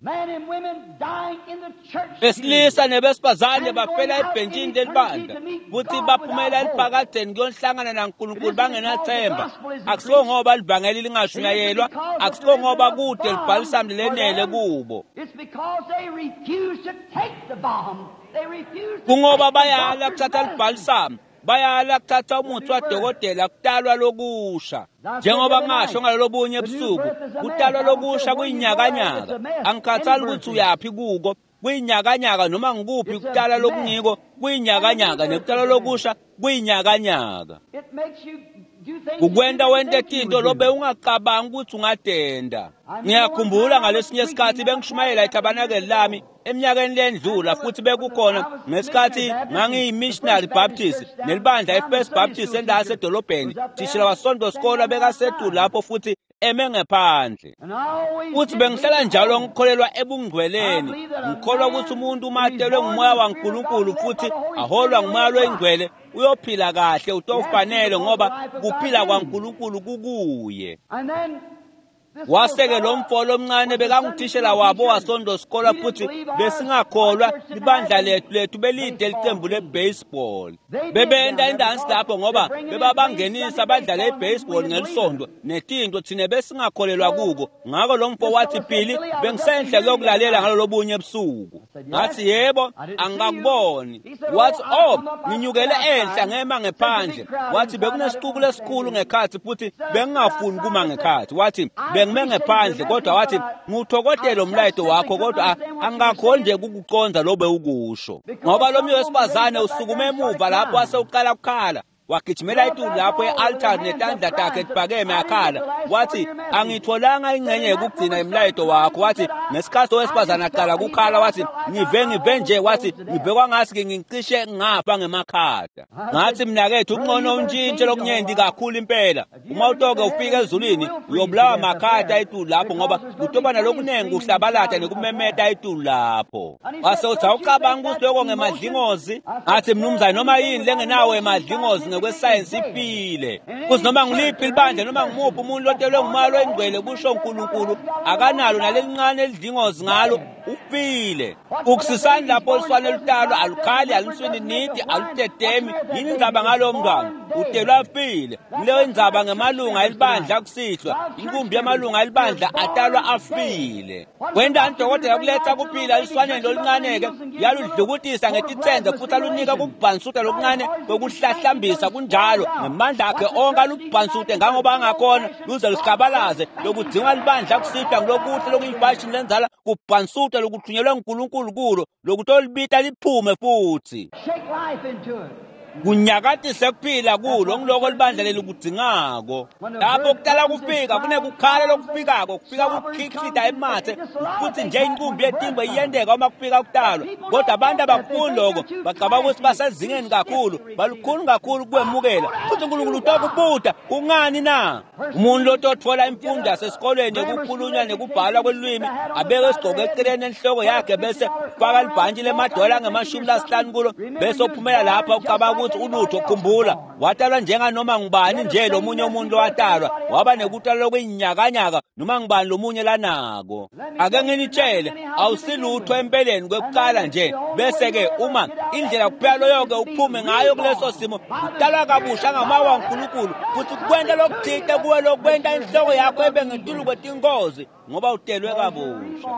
Besilisa nebesifazane bafela ebhentshini lelibandla futhi baphumela eliphakadzeni kuyohlangana naNkulunkulu bangenathemba. Akusiko ngoba livangeli lingashunyayelwa, akusiko ngoba kude libhalisamu lenele kubo. Kungoba bayala kuthatha libhalisamu, bayala kuthatha umuthi wadokotela, kutalwa lokusha. Njengoba ngasho ngalolobunye ebusuku, kutalwa lokusha kuyinyakanyaka. Angikhathali ukuthi uyaphi kuko, kuyinyakanyaka noma ngikuphi kutalwa lokungiko kuyinyakanyaka, nekutalwa lokusha kuyinyakanyaka. Kukwenta wente tinto lobe ungacabangi ukuthi ungatenda. Ngiyakhumbula ngalesinye isikhathi bengishumayela ethabanakeli lami eminyakeni lendlula, futhi bekukhona ngesikhathi ngangiyi-missionary Baptist nelibandla i-First Baptist endawo yasedolobheni. Thishela wasonto sikolo bekasetulu lapho futhi eme ngephandle. Futhi bengihlala njalo ngikholelwa ebungcweleni. Ngikholwa ukuthi umuntu uma atelwe ngumoya waNkulunkulu futhi aholwa ngumoya loyingcwele uyophila kahle, utofanele ngoba kuphila kwaNkulunkulu kukuye. Waseke lo mfo lomncane bekangutishela wabo wasonto sikolo futhi besingakholwa libandla lethu lethu belide licembu le-baseball. Bebenta indansi lapho ngoba bebabangenisa badlale i-baseball ngelisondo netinto thine besingakholelwa kuko. Ngako lo mfo wathi, Phili, bengisenhle kuyokulalela ngalolobunye ebusuku. Ngathi, yebo, angikakuboni. Wathi, oh, nginyukele enhla ngema ngephandle. Wathi bekunesixuku lesikhulu ngekhathi futhi bengingafuni kuma ngekhathi. Wathi bengime ngephandle kodwa wathi ngiwuthokodele umlayeto wakho kodwa angakhoni nje ukukuconza lo bewukusho. Ngoba lo mnye wesifazane usukume emuva lapho wase uqala ukukhala. Wagijimela etulu lapho e-altari netandla takhe tiphakeme akhala. Wathi angitholanga ingxenye yokugcina imlayeto wakho. Wathi ngesikhathi owesifazane aqala kukhala, wathi ngive ngive nje, wathi ngive kwangathi ngicishe ngafa ngemakhada. Ngathi mnakethu ungcono untshintshe lokunyendi kakhulu impela. Uma utoke ufika ezulwini uyobulawa makhada etulu lapho ngoba kutobana lokunengi kuhlabalata nekumemeta etulu lapho. Wase uthi awucabanga ukuthi lokho ngemadlingozi? Ngathi mnumzane noma yini lengenawo emadlingozi kwesayensi ifile. Kuthi noma ngiliphi libandla noma ngimuphi umuntu lotelwe ngumoya loyingcwele kusho uNkulunkulu akanalo nalelincane elidlingozi ngalo, ufile. Ukusisani lapho oluswane lutalwa alukhali, aluswini nidi, alutetemi. Yini indzaba ngalowo mntwana? Utelwa afile. Leyo indzaba ngemalunga elibandla kusihlwa. Inkumbi yamalunga elibandla atalwa afile. Kwentani dokotela kuletha kuphila eluswaneni loluncane-ke, yaludlukutisa ngetitsenze futhi alunika kubhansuta lokuncane kokuhlahlambisa kunjalo ngemandla akhe onke alubhansute ngangoba angakhona luze luhlabalaze. Lokudzinga libandla kusihlwa ngilokuhle lokuyifashini lenzala kubhansuta lokuthunyelwe nguNkulunkulu kulo lokutolibita liphume futhi kunyakatise kuphila kulo ngiloko libandla leli kudzingako. Lapho kutala kufika kunekukhala lokufikako, kufika kukhiklita emathe futhi nje inqumbi yetimbo iyendeka uma kufika kutalwa. Kodwa abantu abakufuni lokho, bacabanga ukuthi basezingeni kakhulu, balukhuni kakhulu kwemukela. Futhi uNkulunkulu utokubuta kungani na? Umuntu lototfola imfundo yasesikolweni yekukhulunywa nekubhalwa kwelulwimi abeke isigqoko eceleni enhloko yakhe bese ufaka libhantshi lemadola angemashumi lasihlanu kulo bese uphumela lapha ucabanga kutsi ulutho khumbula watalwa njenganoma ngubani nje lomunye umuntu lowatalwa waba nekutalwa lokuyinyakanyaka noma ngubani lomunye lanako. Ake nginitshele, awusilutho empeleni kwekuqala nje, bese-ke uma indlela kuphela loyo-ke uphume ngayo kuleso simo utalwa kabusha ngamoya waNkulunkulu kutsi kwenta lokuthite kuwe lokwenta inhloko yakho ibe ngetulu kwetingozi ngoba utelwe kabusha.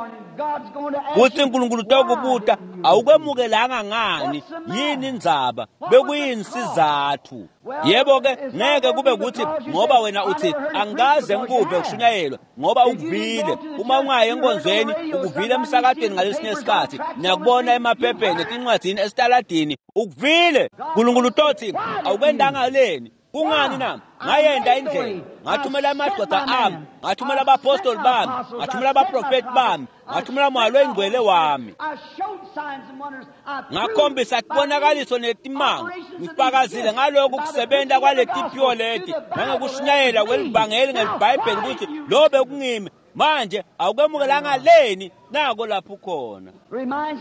Kutsi uNkulunkulu utokubuta awukwemukelanga ngani, yini indzaba, bekuyini sizatfu? Yebo-ke ngeke kube kutsi ngoba wena uthi angikaze ngikuve kushunyayelwa, ngoba ukuvile. Uma ungayi enkonzweni ukuvile emsakatweni ngalesinye isikhathi, niyakubona emaphepheni, etincwadzini, esitaladini, ukuvile. Nkulunkulu utothi awukwendanga leni? Kungani na? Ngayenda indlela, ngathumela amadoda ami, ngathumela abapostoli bami, ngathumela abaprofeti bami, ngathumela moya loyingcwele wami, ngakhombisa tibonakaliso netimanga, ngifakazile ngalokhu kusebenta kwaletiphiwo leti nangekushunyayela kwelivangeli ngelibhayibheli kutsi lo bekungimi. Manje awukwemukelanga leni? Nako lapho ukhona.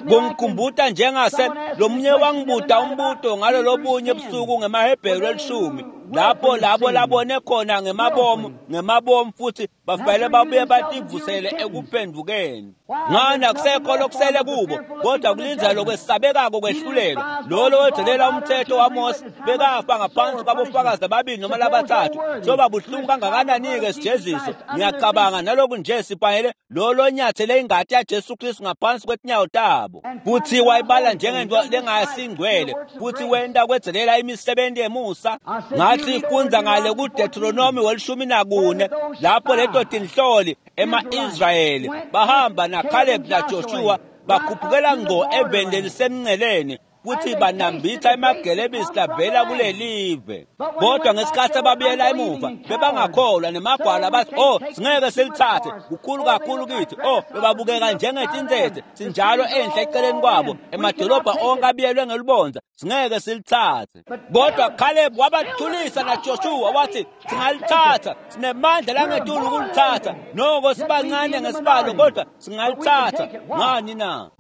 Kungikhumbuta njengase lomunye wangibuta umbuto ngalolobunye busuku ngemaHebheru elishumi, lapho labo labone khona ngemabomu ngemabomu futhi bafanele babuye bativusele ekuphendvukeni. Ngani akusekho lokusele kubo kodwa kulindzela lokwesabekako kwehlulelwa. Lolo wedzelela umthetho waMose bekafa ngaphansi kwabofakazi ababili noma labathathu. Soba buhlungu kangakanani-ke sijeziso? Ngiyacabanga naloku nje sifanele lolo nyathele ingati yaJesu Kristu ngaphansi kwetinyawo tabo. Futhi wayibala njengento lengasingcwele, futhi wenta kwedzelela imisebenzi yemusa. Ngathi fundza ngale kuDeuteronomy welishumi nakune, lapho leto tinhloli ema-Israyeli bahamba naCaleb naJoshua bakhuphukela ngqo eveni lelisemnceleni futhi banambitha emagelebisi lavela kulelive. Kodwa ngesikhathi ababuyela emuva bebangakholwa nemagwala, bathi oh singeke silithathe, kukhulu kakhulu kithi. Oh bebabukeka njengetintsetse sinjalo enhla eceleni kwabo, emadolobha onke abiyelwe ngelubondza, singeke silithathe. Kodwa Caleb wabathulisa naJoshua wathi singalithatha, sinemandla langetulu ukulithatha, noko sibancane ngesibalo kodwa singalithatha. Ngani na?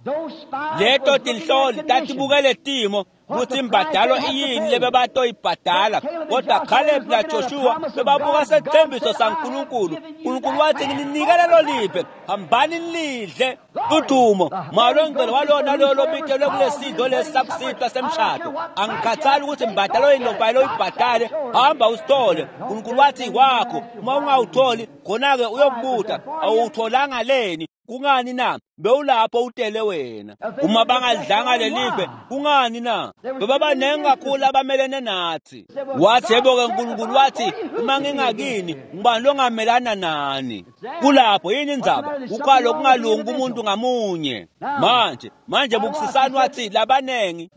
Leto tinhloli tatibukele timo kutsi imbadalo iyini lebebatoyibhadala, kodwa Caleb naJoshua bebabuka sethembiso saNkulunkulu. Nkulunkulu wathi ngininikele lolive, hambani nilidle. Udumo malongcwele walona lolo lobitelwe kulesidlo lesi sakusihlwa semshado. Angikhathali ukuthi imbadalo yini lofanele uyibhadale, hamba usithole. Nkulunkulu wathi kwakho, uma ungawutholi khona-ke uyokubuta awutholanga leni? Kungani na? Bewulapho utele wena. Uma bangalidlanga lelive, kungani na? Bebabanengi kakhulu abamelene nathi. Wathi yebo-ke uNkulunkulu wathi uma ngingakini ngubani longamelana nani? Kulapho yini indzaba? Kukhalo kungalungi kumuntu ngamunye. Manje manje bukusisani wathi labanengi.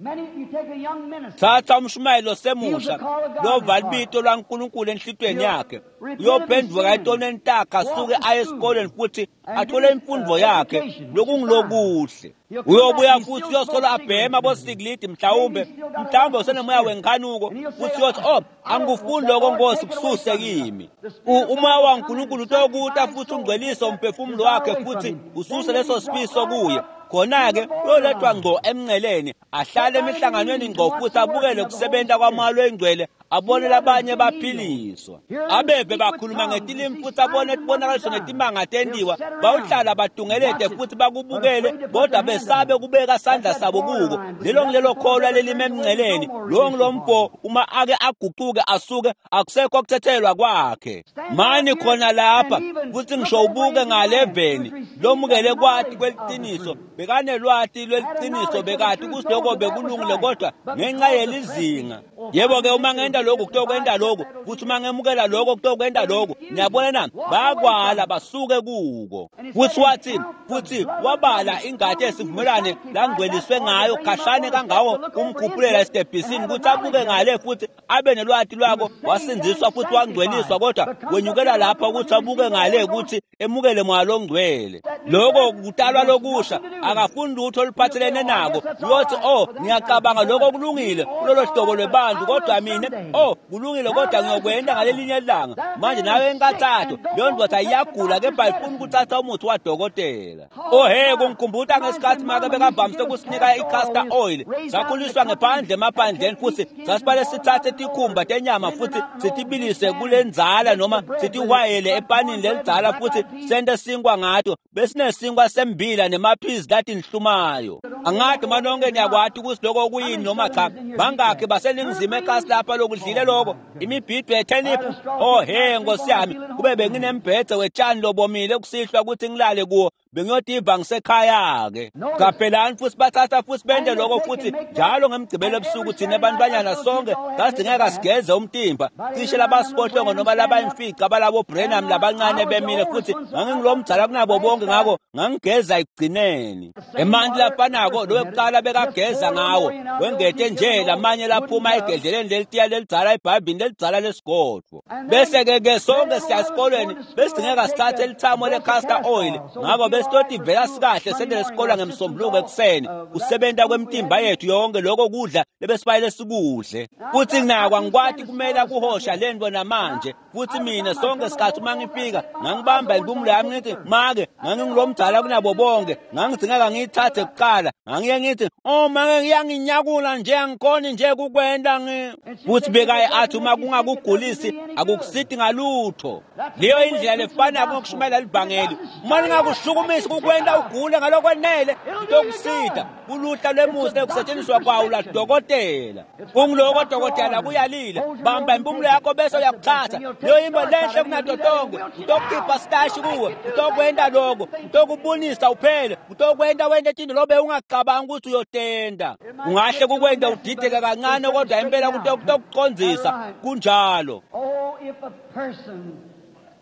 Thatha umshumayeli osemusha lova libito lwaNkulunkulu enhlitweni yakhe, uyophenduka etoneni takhe, asuke aye esikoleni futhi athole imfundo yakhe lokungilokuhle. Uyobuya futhi uyosolo abhema bosikilidi, mhlawumbe mhlawumbe usenemoya wenkhanuko, futhi uyothi oh angikufuni lokho Nkosi, kususe kimi. Umoya waNkulunkulu utokuta futhi ungcwelise umphefumulo wakhe futhi ususe leso sifiso kuye. Khona-ke uyolethwa ngqo emnceleni, ahlale emihlanganweni ngqo futhi abukele kusebenta kwamoya loyingcwele, abone labanye baphiliswa. Abeve bakhuluma ngetilimi futhi abone tibonakaliso netimanga tentiwa, bawuhlala batungelete futhi bakubukele, kodwa besabe kubeka sandla sabo kuko. Lelo ngilelo kholwa lelime emnceleni, lowo ngilomfo uma ake aguquke asuke, akusekho kuthethelwa kwakhe. Mani khona lapha futhi ngisho ubuke ngaleveni lomukele kwati kweliciniso, bekanelwati lweliciniso, bekati kutsi lokho bekulungile, kodwa ngenxa yelizinga. Yebo-ke uma ngenta lokhu kutokwenta lokhu, futhi uma ngemukela lokho kutokwenta lokhu. Niyabona na? Bayakwala basuke kuko. Futhi wathi futhi wabala ingati yesivumelwane langcweliswe ngayo khashane kangako kumkhuphulela esitebhisini ukuthi abuke ngale futhi abe nelwati lwako, wasindziswa futhi wangcweliswa, kodwa wenyukela lapha ukuthi abuke ngale ukuthi emukele moya longcwele. Lokho kutalwa lokusha, akafuni lutho oluphathelene nako. Uyothi oh ngiyacabanga lokho kulungile kulolo hlobo lwebantu, kodwa mina Oh, kulungile kodwa ngiyokwenda ngalelinye ilanga. Manje nawe enkathatho, leyo ndoda iyagula kepha ayifuni ukuthatha umuthi wadokotela. Oh he, kungikhumbuta ngesikhathi make bekavamise ukusinika i-castor oil. Sakhuliswa ngephandle emaphandleni futhi sasibale sithathe tikhumba tenyama futhi sitibilise kulenzala noma sitihwayele epanini lelidzala futhi sente sinkwa ngato. Besinesinkwa sembila nemaphizi latinhlumayo. Angathi manonke niyakwati ukuthi lokho kuyini noma cha. Bangakhi baseningizimu ekasi lapha lokudlile lokho imibhido yetheniphu. Oh he, nkosi yami, kube benginembhede wetshani lobomile kusihlwa ukuthi ngilale kuwo, bengiyotiva ngisekhaya-ke. Qaphelani futhi bathatha futhi bente lokho futhi njalo ngemigcibelo ebusuku thina abantwanyana sonke sasidingeka sigeze umtimba. Cishe labasibohlongo noma labayimfica abalabo Branham labancane bemile futhi ngangingilo mdzala kunabo bonke, ngakho ngangigeza ekugcineni. Emanti lafanako lokuqala bekageza ngawo wengete nje lamanye laphuma egedleleni lelitiya lelidzala ebhayibhini lelidzala lesigodvo. Bese-ke ke sonke siya esikolweni besidingeka sithathe lithamo le-castor oil, ngakho besitotivela sikahle sendele esikolwa ngemsombuluko ekuseni kusebenta kwemtimba yethu yonke lokho kudla lebesibayele sikudle. Futhi nako angikwati kumele kuhosha lento namanje. Futhi mina sonke sikhathi uma ngifika ngangibamba impumulo yami ngithi make ngangingilomdala kunabo bonke, ngangidingeka ngiyithathe kuqala. Ngangiye ngithi oh make ngiyanginyakula nje angikhoni nje kukwenda ngi. Futhi bekaye athi uma kungakugulisi akukusidi ngalutho. Leyo indlela lefana ngokushumayela livangeli. Uma ningakushukumisi kukwenda ugule ngalokwenele kutokusida kuluhla lwemusi ekusetshenziswa kwawo ladokotela. Kungiloko dokotela kuyalile, bamba impumulo yakho bese uyakuthatha. Leyo imbo lenhle kunato tonke, utokukhipha sitashi kuwe, utokwenda lokho, utokubonisa uphele, utokwenda wente tinto lobe ungacabanga ukuthi uyotenda. Ungahle kukwenda udideke kancane kodwa impela kutokucondzisa kunjalo. Oh, if a person,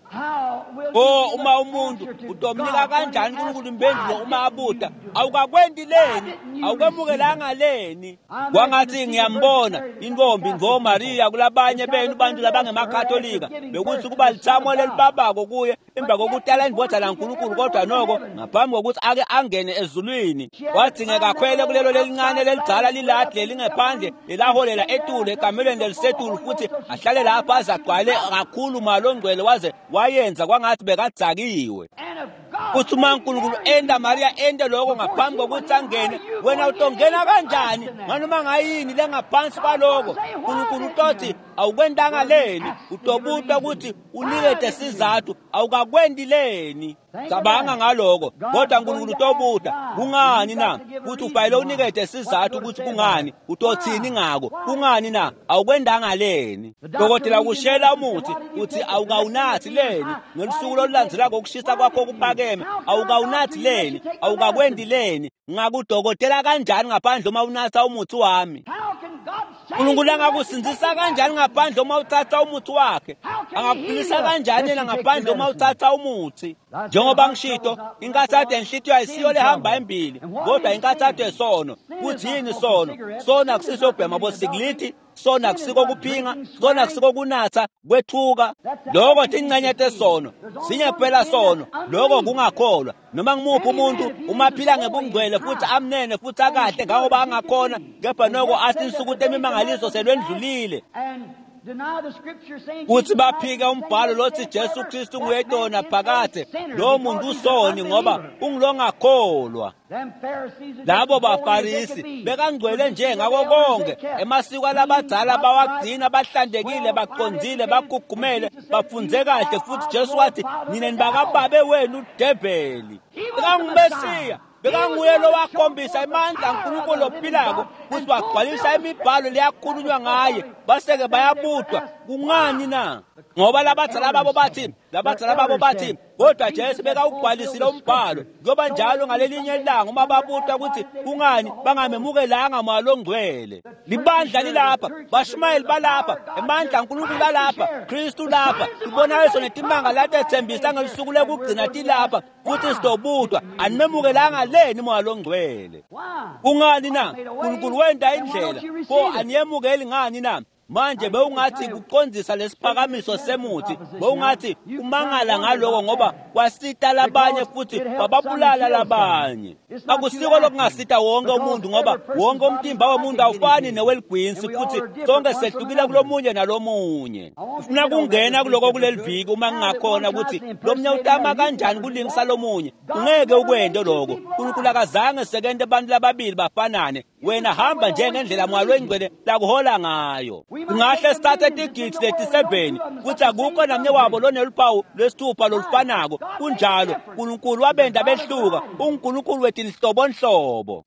how will Oh, you give uma an umuntu answer to utomnika God when kanjani he uNkulunkulu asks, impendulo why uma didn't abuta you do it? awukakwenti leni Why didn't you awukwemukelanga leni. Kwangathi ngiyambona intombi ngoMaria kulabanye benu bantu labangemakatolika bekuthi kuba lithamo lelibabako kuye emva kokutala indvodza laNkulunkulu, kodwa noko ngaphambi kokuthi ake angene ezulwini wadingeka akhwele kulelo lelincane lelidzala liladi lelingephandle lelaholela etulu ekamelweni lelisetulu futhi ahlale lapho aze agcwale kakhulu malongcwele waze wayenza kwangathi bekadzakiwe. And if God Futhi uma uNkulunkulu enda Maria ende lokho ngaphambi kokuthi angene, wena utongena kanjani nganoma ngayini lengaphansi kwaloko? uNkulunkulu utothi awukwentanga leni, utobutwa ukuthi unikete sizathu awukakwendi leni. Cabanga ngaloko, kodwa uNkulunkulu utobuta kungani na? Futhi ufanele unikete sizathu ukuthi kungani, utothini ngako, kungani na awukwendanga leni. Dokotela ukushela umuthi uthi awukawunathi leni, ngelusuku olulandzelako ukushisa kwakho kuphakeme awukawunathi leni, awukakwendi leni. Ngakudokotela kanjani ngaphandle uma unatha umuthi wami? How can God save uNkulunkulu you angakusindzisa kanjani ngaphandle uma uthatha umuthi wakhe? Angakuphilisa kanjani yena ngaphandle uma uthatha umuthi? Njengoba ngishito, inkathatho yenhlitiyo ayisiyo lehamba embili, kodwa inkathatho yesono. Kuthi yini isono? Sona akusiso ukubhema bosikiliti, sona akusiko kuphinga, sona akusiko kunatha, kwethuka. Lokho tingcenye tesono. Sinye kuphela sono, lokho kungakholwa. Noma ngimuphi umuntu uma aphila ngebungcwele futhi amnene futhi akahle ngangoba angakhona, kepha noko athi insuku temimangaliso selwendlulile. And deny the scripture saying Kuthi Jesus baphike Christ is the umbhalo same lothi yesterday Jesu forever. Kristu That nguyedona man is a phakade. sinner Lo because muntu he's an usoni ngoba unbeliever. ungilongakholwa. Them Pharisees are just Labo as holy as they baFarisi could be. bekangcwele nje Traditions ngako of the elders konke they kept. emasiko Clean, alabadzala upright, bawagcina bahlantekile well baqondzile educated. And bagugumele Jesus said, bafunze You kahle are futhi of Jesu your wathi father nina the devil. nibakababe wenu udeveli. He was the BekanguMesiya, Messiah. bekanguye lowakhombisa amandla aNkulunkulu ophilako futhi wagcwalisa imibhalo leyakhulunywa ngaye baseke bayabutwa. Kungani na? Ngoba labadzala babo bathi labadzala babo bathi kodwa Jesu bekawugcwalisile umbhalo. Kuyoba njalo ngalelinye ilanga uma babutwa ukuthi kungani bangamemukelanga moya longcwele. Libandla lilapha, bashumayeli balapha, emandla aNkulunkulu alapha, Kristu lapha, ibonakaliso netimanga latethembisa ngelusuku lekugcina tilapha futhi sidobutwa animemukelanga leni moya longcwele. Why? Kungani na? uNkulunkulu wenda indlela, pho aniyemukeli ngani na? Manje bewungathi kucondzisa lesiphakamiso semuthi, bewungathi kumangala ngaloko ngoba kwasita labanye futhi kwababulala labanye. Akusiko lokungasita wonke umuntu ngoba wonke umtimba womuntu awufani neweligwinsi futhi sonke sehlukile kulomunye nalomunye. Ufuna kungena kuloko kuleli viki uma ngingakhona ukuthi lomnye utama kanjani kulingisa lomunye. Ungeke ukwente lokho. uNkulunkulu akazange sekente abantu lababili bafanane. Wena hamba njengendlela Moya Longcwele lakuhola ngayo. Kungahle sithathe tigidi letiseveni futhi akukho namnye wabo loneluphawu lwesithupha lolufanako. Kunjalo, uNkulunkulu wabenda behluka. UNkulunkulu wetinhlobonhlobo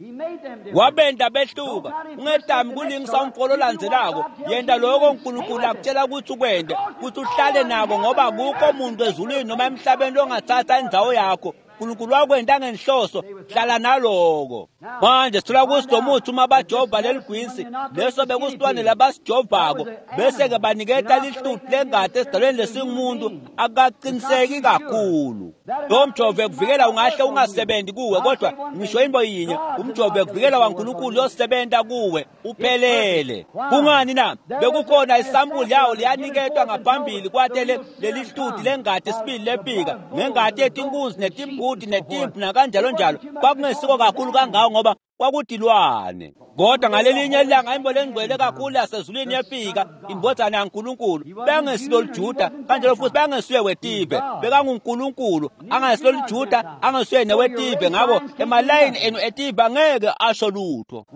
wabenda behluka. Ungetami kulingisa umfolo olandzelako. Yenta lokho uNkulunkulu akutshela ukuthi ukwente, ukuthi uhlale nako ngoba akukho muntu ezulwini noma emhlabeni longathatha indzawo yakho. uNkulunkulu wakwenta ngenhloso, hlala naloko. Manje sithola ukuthi lo muthi uma bajova leligwinsi leso bekusilwane labasijovako bese-ke baniketa lihluthu lengati esidalweni lesingumuntu akaqiniseki kakhulu. Lo mjovo ekuvikela ungahle ungasebenzi kuwe, kodwa ngisho into yinye, umjovo ekuvikela waNkulunkulu uyosebenza kuwe uphelele. Kungani na? Bekukhona isampuli yawo liyaniketwa ngaphambili kwatele leli hluthu lengati sibili lefika ngengati yetinkunzi netimbuti netimvu nakanjalo njalo. Kwakungesiko kakhulu kangako ngoba kwakutilwane. Kodwa ngalelinye ilanga imbo lengcwele kakhulu yasezulwini yefika, indvodzana yaNkulunkulu. Bengesilo liJuda kanjalo futhi bengesuye wetive, bekanguNkulunkulu angesilo liJuda angesuye newetive. Ngako emalayini enu etive angeke asho lutho.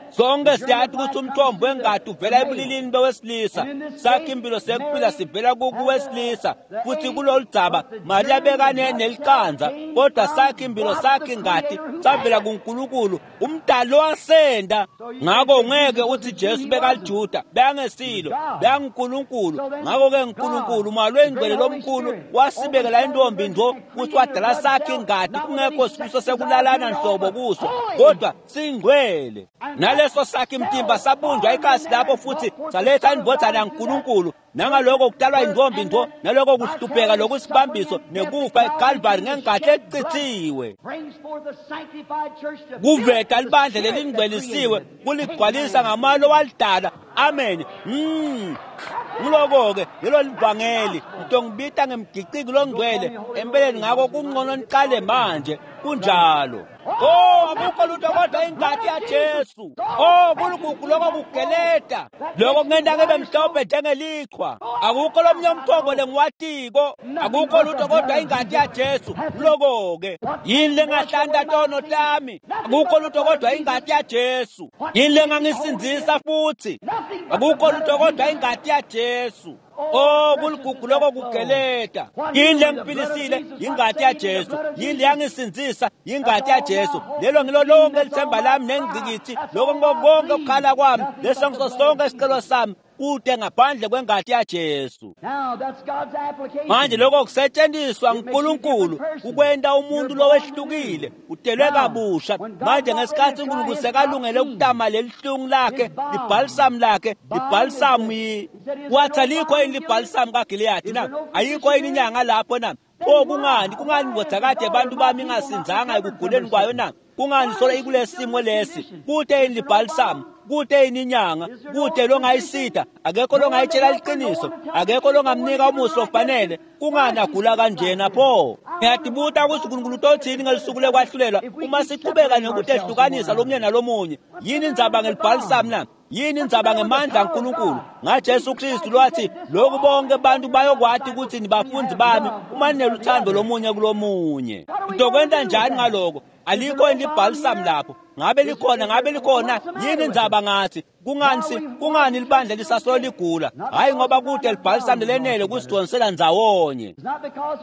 Sonke siyathi ukuthi umthombo wengati uvela ebulilini bewesilisa, sakhe impilo sekuphila sivela kuwesilisa. Futhi kulolu dzaba Mariya bekane neliqanza, kodwa sakhe impilo sakhe ingati savela kuNkulunkulu umdali wasenda. Ngako ungeke uthi Jesu bekaliJuda, bekangesilo, bekanguNkulunkulu. Ngako-ke uNkulunkulu Moya Longcwele lomkhulu wasibekela intombi ndo ukuthi wadala sakhe ingati kungekho sifiso sekulalana nhlobo kuso, kodwa singcwele. Naleso sakhe imtimba sabunjwa ikasi lapho futhi saletha indvodzana yaNkulunkulu. Nangaloko kudalwa intombi ndo, naloko kuhlupheka lokusibambiso nekufa eKalvari ngengati echithiwe, kuveta libandla lelingcwelisiwe kuligcwalisa ngamalo walidala. Amen. Mm. Ngiloko-ke lelo livangeli ngitongibita ngemgiciki longcwele empeleni. Ngako kungcono niqale manje. Kunjalo. Oh, akukho lutho kodwa ingati yaJesu. Oh, kuligugu lokho kugeleta lokho kungenta ngibe mhlophe njengelichwa. Akukho lomnye umthombo lengiwatiko, akukho lutho kodwa ingati yaJesu. Loko-ke yini lengahlanta tono tami? Akukho lutho kodwa ingati yaJesu. Yini lengangisindzisa futhi? Akukho lutho kodwa ingati yaJesu. Oh, kuligugu lokho kugeleta. Yini lengiphilisile? Ingati yaJesu. Yini leyangisindzisa? Ingati yaJesu. Lelo ngilo lonke lithemba lami nengcikithi, lokho konke ukukhala kwami, leso ngiso sonke isicelo sami kude ngaphandle kwengati yaJesu. Manje lokho kusetshenziswa nguNkulunkulu ukwenta umuntu lowehlukile, utelwe kabusha. Manje ngesikhathi uNkulunkulu sekalungele ukutama lelihlungu lakhe, libhalisamu lakhe, libhalisamu wathi alikho yini libhalisamu kaGileyadi na? Ayikho yini inyanga lapho na? Pho kungani kungani ndvodzakade abantu bami ingasinzanga ekuguleni kwayo na? Kungani solo ikulesimo lesi? Kude yini libhalisamu? Kude yini inyanga? Kude longayisida? Akekho longayitshela liqiniso, akekho longamnika umusi ofanele. Kungani agula kanjena pho? Ngiyadibuta ukuthi uNkulunkulu utothini ngelisuku lekwahlulelwa uma siqhubeka nokutehlukanisa lomunye nalomunye. Yini indzaba ngelibhalisamu na? Yini indzaba ngemandla kaNkulunkulu ngaJesu Kristu lwathi lokhu bonke abantu bayokwati ukuthi nibafundi bami uma nineluthando lomunye kulomunye. Ntokwenta njani ngaloko? Alikho yini libhalisamu lapho? Ngabe likhona? Ngabe likhona? Yini indzaba ngathi? Kungani kungani libandla lisasolo ligula? Hayi ngoba kude libhalisamu lenele kusidonsela ndzawonye.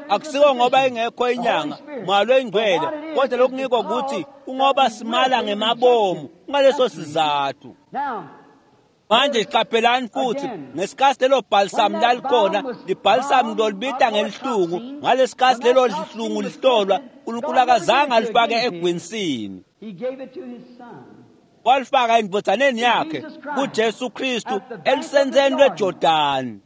Akusiko ngoba ingekho inyanga Moya Longcwele, kodwa lokungiko ukuthi kungoba simala ngemabomu ngaleso sizathu. Manje qaphelani futhi ngesikhathi lelo bhalisamu lalikhona, libhalisamu lolibita ngelihlungu. Ngalesikhathi lelo lihlungu lihlolwa, uNkulunkulu akazange alifake egwinsini, walifaka endvodzaneni yakhe kuJesu Kristu elusenzeni lweJordani.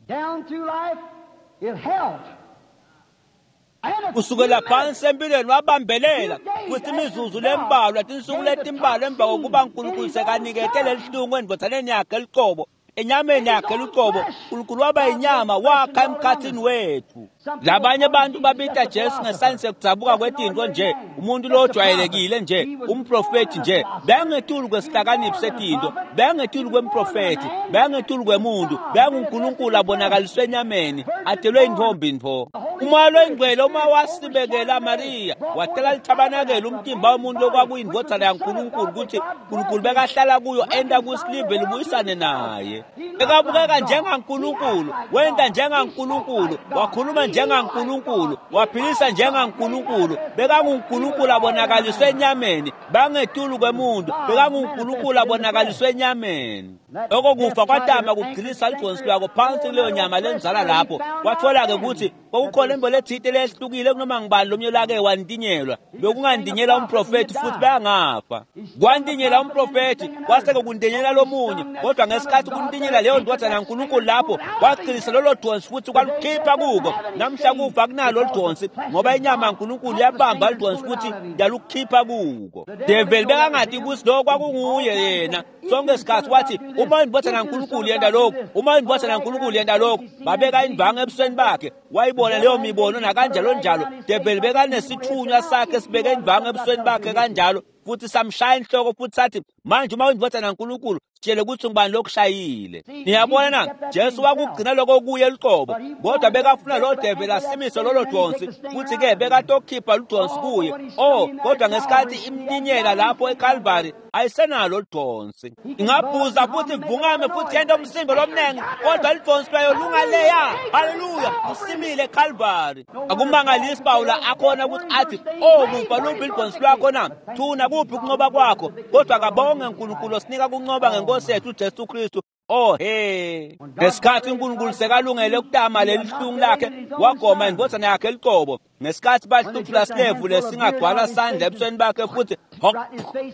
Kusukela phansi empilweni wabambelela futhi imizuzu lembalwa tinsuku letimbalwa emva kokuba uNkulunkulu sekanikete lelihlungu endvodzaneni yakhe lucobo enyameni yakhe lucobo uNkulunkulu waba inyama wakha emkhathini wethu. Labanye abantu babita Jesu ngesayensi yekudzabuka kwetinto nje, umuntu lojwayelekile nje, umprofethi nje. Bengetulu kwesihlakaniphi setinto, bengetulu kwemprofethi, bengetulu kwemuntu, benguNkulunkulu abonakaliswe enyameni, atelwe intombi ntfo. Umoya loyingcwele uma wasibekela Maria, watela lithabanakele umtimba womuntu lokwakuyindvodzana yaNkulunkulu ukuthi uNkulunkulu bekahlala kuyo enta kusilive libuyisane naye. Bekabukeka njengaNkulunkulu, wenta njengaNkulunkulu, wakhuluma njengaNkulunkulu, waphilisa njengaNkulunkulu. BekanguNkulunkulu abonakaliswe enyameni, bangetulu kwemuntu, bekanguNkulunkulu abonakaliswe enyameni. Lokho kufa kwatama kugcilisa lidonsi lwako phansi kuleyo nyama lenzala lapho. Kwathola-ke ukuthi kwakukhona imbo lethite lehlukile kunoma ngibani lomnye lake wantinyelwa. Bekungantinyela umprofethi futhi bayangafa. Kwantinyela umprofethi kwase-ke kuntinyela lomunye, kodwa ngesikhathi kuntinyela leyo ndvodzana yaNkulunkulu lapho kwagcilisa lolo donsi futhi kwalukhipha kuko. Namhla kufa kunalo lidonsi ngoba inyama yaNkulunkulu yabamba lidonsi futhi yalukhipha kuko. Develi bekangati ukuthi lokho kwakunguye yena. Sonke isikhathi wathi uma indvodzana yaNkulunkulu yenta lokhu, uma indvodzana yaNkulunkulu yenta lokhu, babeka indvangu ebusweni bakhe, wayibona leyo mibono nakanjalo njalo. Develi bekanesithunywa sakhe sibeke indvangu ebusweni bakhe kanjalo futhi samshaya inhloko futhi sathi manje uma indvodzana yaNkulunkulu sitshele ukuthi ngubani lokushayile. Niyabona na, Jesu wakugcina lokho kuye luqobo, kodwa bekafuna lo develi asimise lolo donsi futhi ke bekatokhipha ludonsi kuye. Oh, kodwa ngesikhathi imnyinyela lapho eCalvary ayisenalo ludonsi. Ingabhuza futhi ivungame futhi yenta umsindo lomnengi, kodwa lidonsi lwayo lungaleya. Haleluya, usimile eCalvary. Akumangalisi Pawula akhona ukuthi athi oh kufa luphi lidonsi lwakho na, thuna kuphi ukunqoba kwakho, kodwa kabonge uNkulunkulu osinika kunqoba ngenkosi yethu uJesu Kristu. Oh he, ngesikhathi uNkulunkulu sekalungele ukutama leli hlungu lakhe wagoma indvodzana yakhe luqobo. Ngesikhathi bahluthula silevu lesingagcwala sandla ebusweni bakhe futhi hok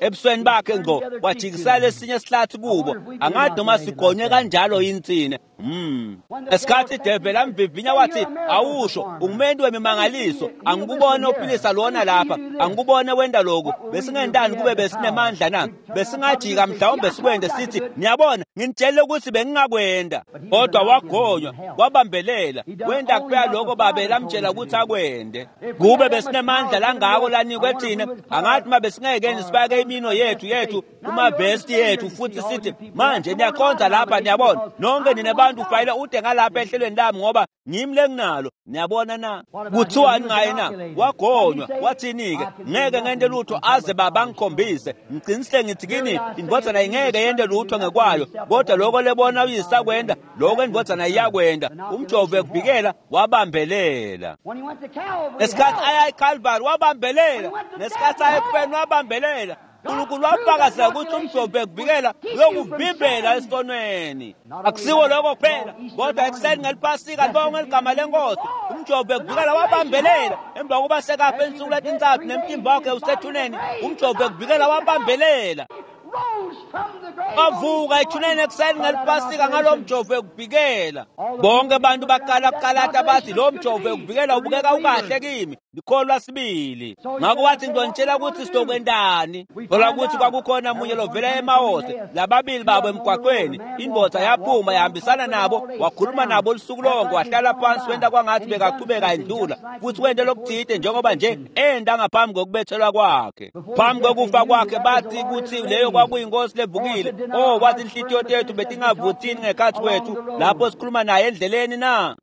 ebusweni bakhe ngqo wajikisela lesinye sihlathi kubo. Angathi noma sigonywe kanjalo insine. Mm. Ngesikhathi ideveli amvivinya wathi awusho ungumuntu wemimangaliso, angikubone ophilisa lona lapha, angikubone wenda lokhu, besingendani kube besinemandla na? Besingajika mhlawumbe sikwende sithi niyabona nginitshele ukuthi bengingakwenda. Kodwa wagonywa, wabambelela, wenda kuphela lokho babe lamtshela ukuthi akwende. Kube besinemandla langako lanikwe thina, angathi uma besingeke sifake imino yethu yethu kumavesti yethu futhi sithi manje niyakhonza lapha, niyabona nonke nina bantu ufayile ude ngalapha ehlelweni lami ngoba ngimi lenginalo. Niyabona na kuthiwani ngaye na? Wagonywa wathini-ke? Ngeke ngente lutho aze baba ngikhombise. Ngiqinisile ngithi kini indvodzana ingeke yente lutho ngekwayo, kodwa lokho lebona uyisakwenda lokho indvodzana iyakwenda. Umjovo ekuvikela wabambelela. Ngesikhathi aya eCalvary wabambelela, ngesikhathi aya ekufeni wabambelela. uNkulunkulu wafakazela ukuthi umjovo ekuvikela uyokuvimbela esonweni. Akusiwo lokho kuphela, kodwa ekuseni ngeliphasika libonge ligama lenkosi. Umjovo ekuvikela wabambelela emva kokuba sekafe insuku letintsathu nemtimba wakhe usethuneni. Umjovo ekuvikela wabambelela, wavuka ethuneni ekuseni ngeliphasika ngalo mjovo ekuvikela. Bonke abantu baqala kuqalata bathi lo mjovo ekuvikela ubukeka ukahle kimi, ngikholwa sibili. Ngakho wathi ngizonitshela ukuthi sizokwentani. Thola ukuthi kwakukhona munye lovela eMawose, lababili babo emgwaqweni. Indvodza yaphuma yahambisana nabo, wakhuluma nabo lusuku lonke, wahlala phansi wenta kwangathi bekaqhubeka endlula futhi wente lokuthide njengoba nje enda ngaphambi kokubethelwa kwakhe. Phambi kokufa kwakhe bathi ukuthi leyo kwakuyinkosi levukile. Oh, wathi inhlitiyo tethu betingavuthini ngekhathi kwethu lapho sikhuluma naye endleleni na?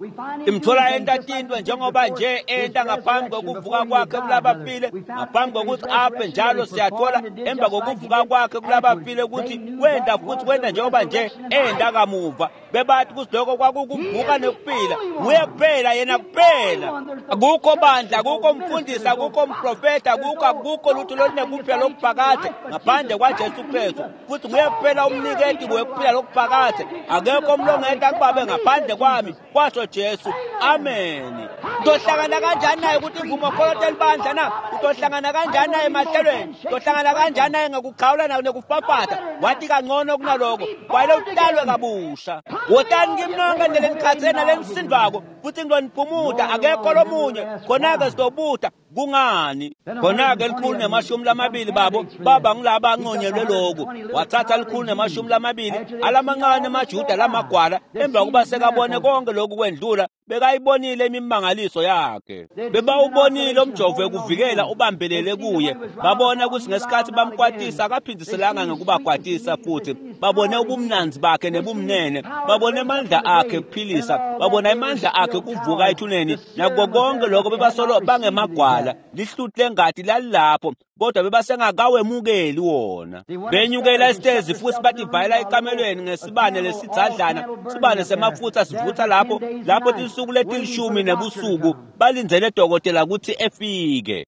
Imthola enta tintwe njengoba nje enta ngaphambi kokuvuka kwakhe kulabafile, ngaphambi kokuthi afe njalo siyathola emva kokuvuka kwakhe kulabafile ukuthi wenda futhi wenda njengoba nje enda kamuva. Bebathi ukuthi lokho kwakukuvuka nekuphila, nguye kuphela, yena kuphela. Akukho bandla, akukho mfundisi, akukho mprofeta, akukho akukho lutho olunekuphila lokuphakade ngaphandle kwaJesu Kristu. Futhi nguye kuphela umniketi wekuphila lokuphakade. Akekho omlongeta kubabe ngaphandle kwami, kwasho Jesu. Amen. Utohlangana kanjani naye ukuthi imvumokholo telibandla na? Utohlangana kanjani naye emahlelweni? Utohlangana kanjani naye ngekukhawula nekufafatha? Wathi kangcono kunaloko kwale utalwe kabusha. Wotani kimi nonke nelenikhathele nalenisindvako futhi ngiloniphumuta, akekho lomunye khona-ke sizobuta. Kungani khona-ke likhulu nemashumi lamabili babo baba ngilaba anconyelwe loku. Wathatha likhulu nemashumi lamabili alamancane emajuda lamagwala emva kuba sekabone konke lokhu kwendlula bekayibonile imimangaliso yakhe, bebawubonile umjovo wekuvikela ubambelele kuye, babona ukuthi ngesikhathi bamkwatisa akaphindiselanga ngekubakwatisa futhi, babone ubumnanzi bakhe nebumnene, babone amandla akhe kuphilisa, babona amandla akhe kuvuka ethuneni, nakuko konke lokho bebasolo bangemagwala, lihluthi lengati lalilapho kodwa bebasengakawemukeli wona. Benyukela esitezi futhi bativayela ekamelweni ngesibane lesidzadlana, sibane semafutha sivutha lapho lapho tinsuku letilishumi nebusuku balindzele dokotela kutsi efike.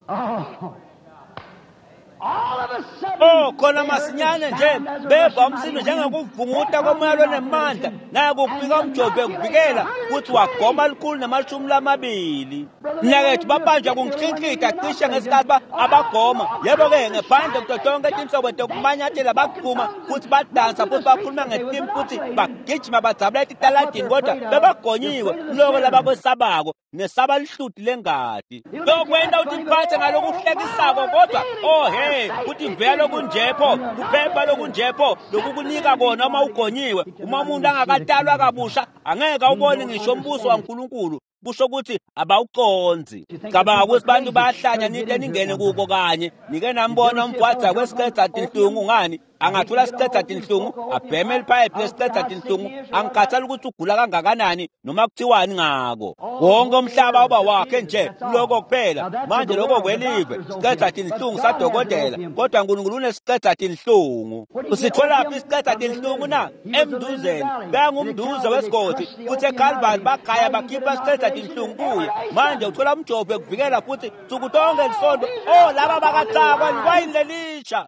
Oh, khona masinyane nje beva umsindo njengokuvunguta komoya lonemandla, naye kufika umjovo ekuvikela kuthi wagoma likhulu nemashumi lamabili. Mnakethu babanjwa kunhlinhlita cishe ngesikhathi abagoma. Yebo-ke ngephandle kuto tonke tinhlobo tekumanyathela baphuma futhi badansa futhi bakhuluma ngetimi futhi bagijima badzabula etitaladini, kodwa bebagonyiwe kuloko labakwesabako nesaba lihluti lengati. Lokwenta uthi mphathe ngalokuhlekisako kodwa oh hey, kuthi mvela lokunjepho kuphepha lokunjepho lokukunika kona uma ugonyiwe. Uma umuntu angakatalwa kabusha angeke awubone ngisho umbuso waNkulunkulu, kusho ukuthi abawuconzi. Cabanga ukuthi bantu bayahlanya nite ningene kuko kanye nike nambona umgwaza kwesiqeda tinhlungu ngani angathola siqeda tinhlungu abheme liphayiphi lesiqeda tinhlungu, angikhathali ukuthi ugula kangakanani noma kuthiwani ngako. Wonke umhlaba uba wakhe nje lokho kuphela. Manje lokho kwelive siqeda tinhlungu sadokotela, kodwa uNkulunkulu unesiqeda tinhlungu. Usitholaphi isiqeda tinhlungu na? Emduzeni bengumduze wesigodi futhi eKalvari bagaya bakhipha isiqeda tinhlungu kuye. Manje uthola umjovo ekuvikela futhi nsuku tonke lisonto. Oh, laba bakathakwa liwayini lelisha,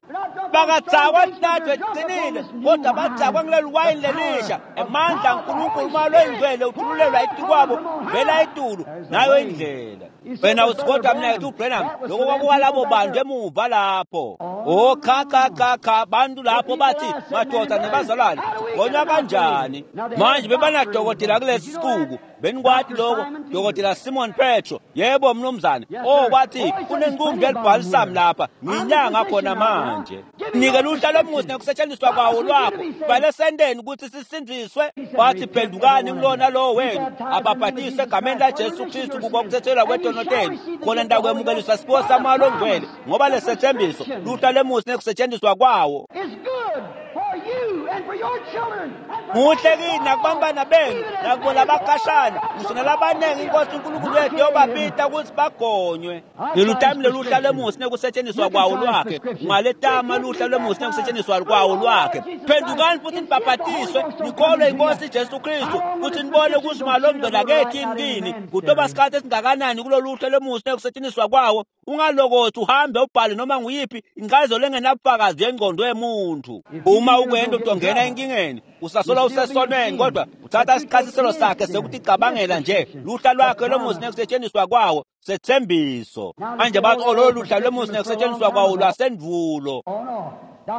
bakathakwa linatho eqinile, kodwa bathakwa ngileli wayini lelisha. Emandla kaNkulunkulu uma lwengcwele uthululelwa etikwabo vela etulu nayo indlela. Wena uthi kodwa mnakethu uBranham lokho kwakuwalabo bantu emuva lapho. Oh cha cha cha cha, bantu lapho bathi madoda nebazalwane gonywa kanjani? Manje bebanadokotela kulesi sicuku, benikwati lokho dokotela Simon Petro. Yebo mnumzane. Oh kwathi kunenqumbi elibhalisam lapha nginyanga khona manje. Nike luhla lomuzi nekusetshenziswa kwawo lwakho bale sendeni ukuthi sisindiswe. Wathi phendukani kulona lowo wenu ababhatise egameni laJesu Kristu kukokuthethelwa kwetono tenu, khona ntakwemukeliswa siphiwo samoya longcwele, ngoba lesethembiso luhla lwemusi nekusetshenziswa kwawo muhle kini nakubambana benu nakubo labakhashana ngisho nalabaningi inkosi uNkulunkulu wethu yobabita ukuthi bagonywe. Lelutami loluhla lwemusi nekusetshenziswa kwawo lwakhe, ungaletama luhla lwemusi nekusetshenziswa kwawo lwakhe. Phendukani futhi nibhabhatiswe nikholwe inkosi Jesu Kristu futhi nibone ukuthi malongcwele akekho kini. Kutoba sikhathi esingakanani kulolu hla lwemusi nekusetshenziswa kwawo? Ungalokothi uhambe ubhale noma nguyiphi incazelo engenabufakazi yengqondo yemuntu. Uma ukwenda utongena enkingeni usasola usesonweni, kodwa uthatha isichasiselo sakhe sekuthi cabangela nje luhla lwakhe lomusi nekusetshenziswa kwawo sethembiso. Manje bathi oh lolu luhla lwemusi nekusetshenziswa kwawo lwasendvulo.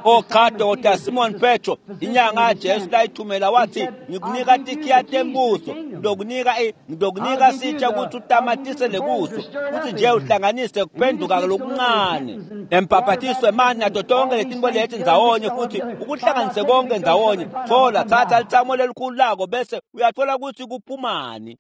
Oh cha, Dokotela Simon Petro inyanga kaJesu layithumela wathi ngikunika tikhiya tembuso, ngizokunika ngizokunika sitsha ukuthi utamatisele kuso futhi nje uhlanganise kuphenduka lokuncane nembhabhatiso emanti nato tonke letinto leti ndzawonye futhi ukuhlanganise konke ndzawonye. Thola thatha lithamo lelikhulu lako bese uyathola ukuthi kuphumani.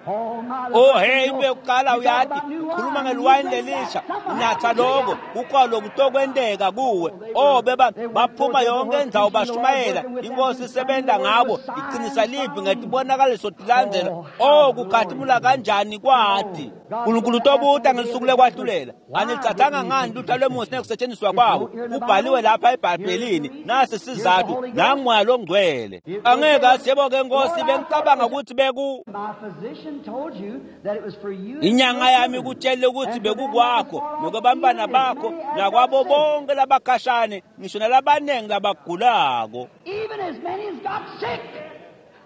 Oh hey, into yokuqala uyathi ukhuluma ngeliwayini lelisha, unatha lokho kukhona kutokwenteka kuwe. Oh beba baphuma yonke indzawo bashumayela inkosi isebenza ngabo iqinisa livi ngetibonakaliso tilandzela. Oh kukhathimula kanjani kwati uNkulunkulu utobuta ngelisuku lekwahlulela. Anilithathanga ngani lutho lwemusi nekusetshenziswa kwawo? Kubhaliwe lapha eBhayibhelini nasi sizathu nangumoya longcwele. Angeke athi yebo ke Nkosi bengicabanga ukuthi beku inyanga yami ikutshele ukuthi bekukwakho nokwabantwana bakho nakwabo bonke labakhashane ngisho nalabaningi labagulako. Even as many as got sick.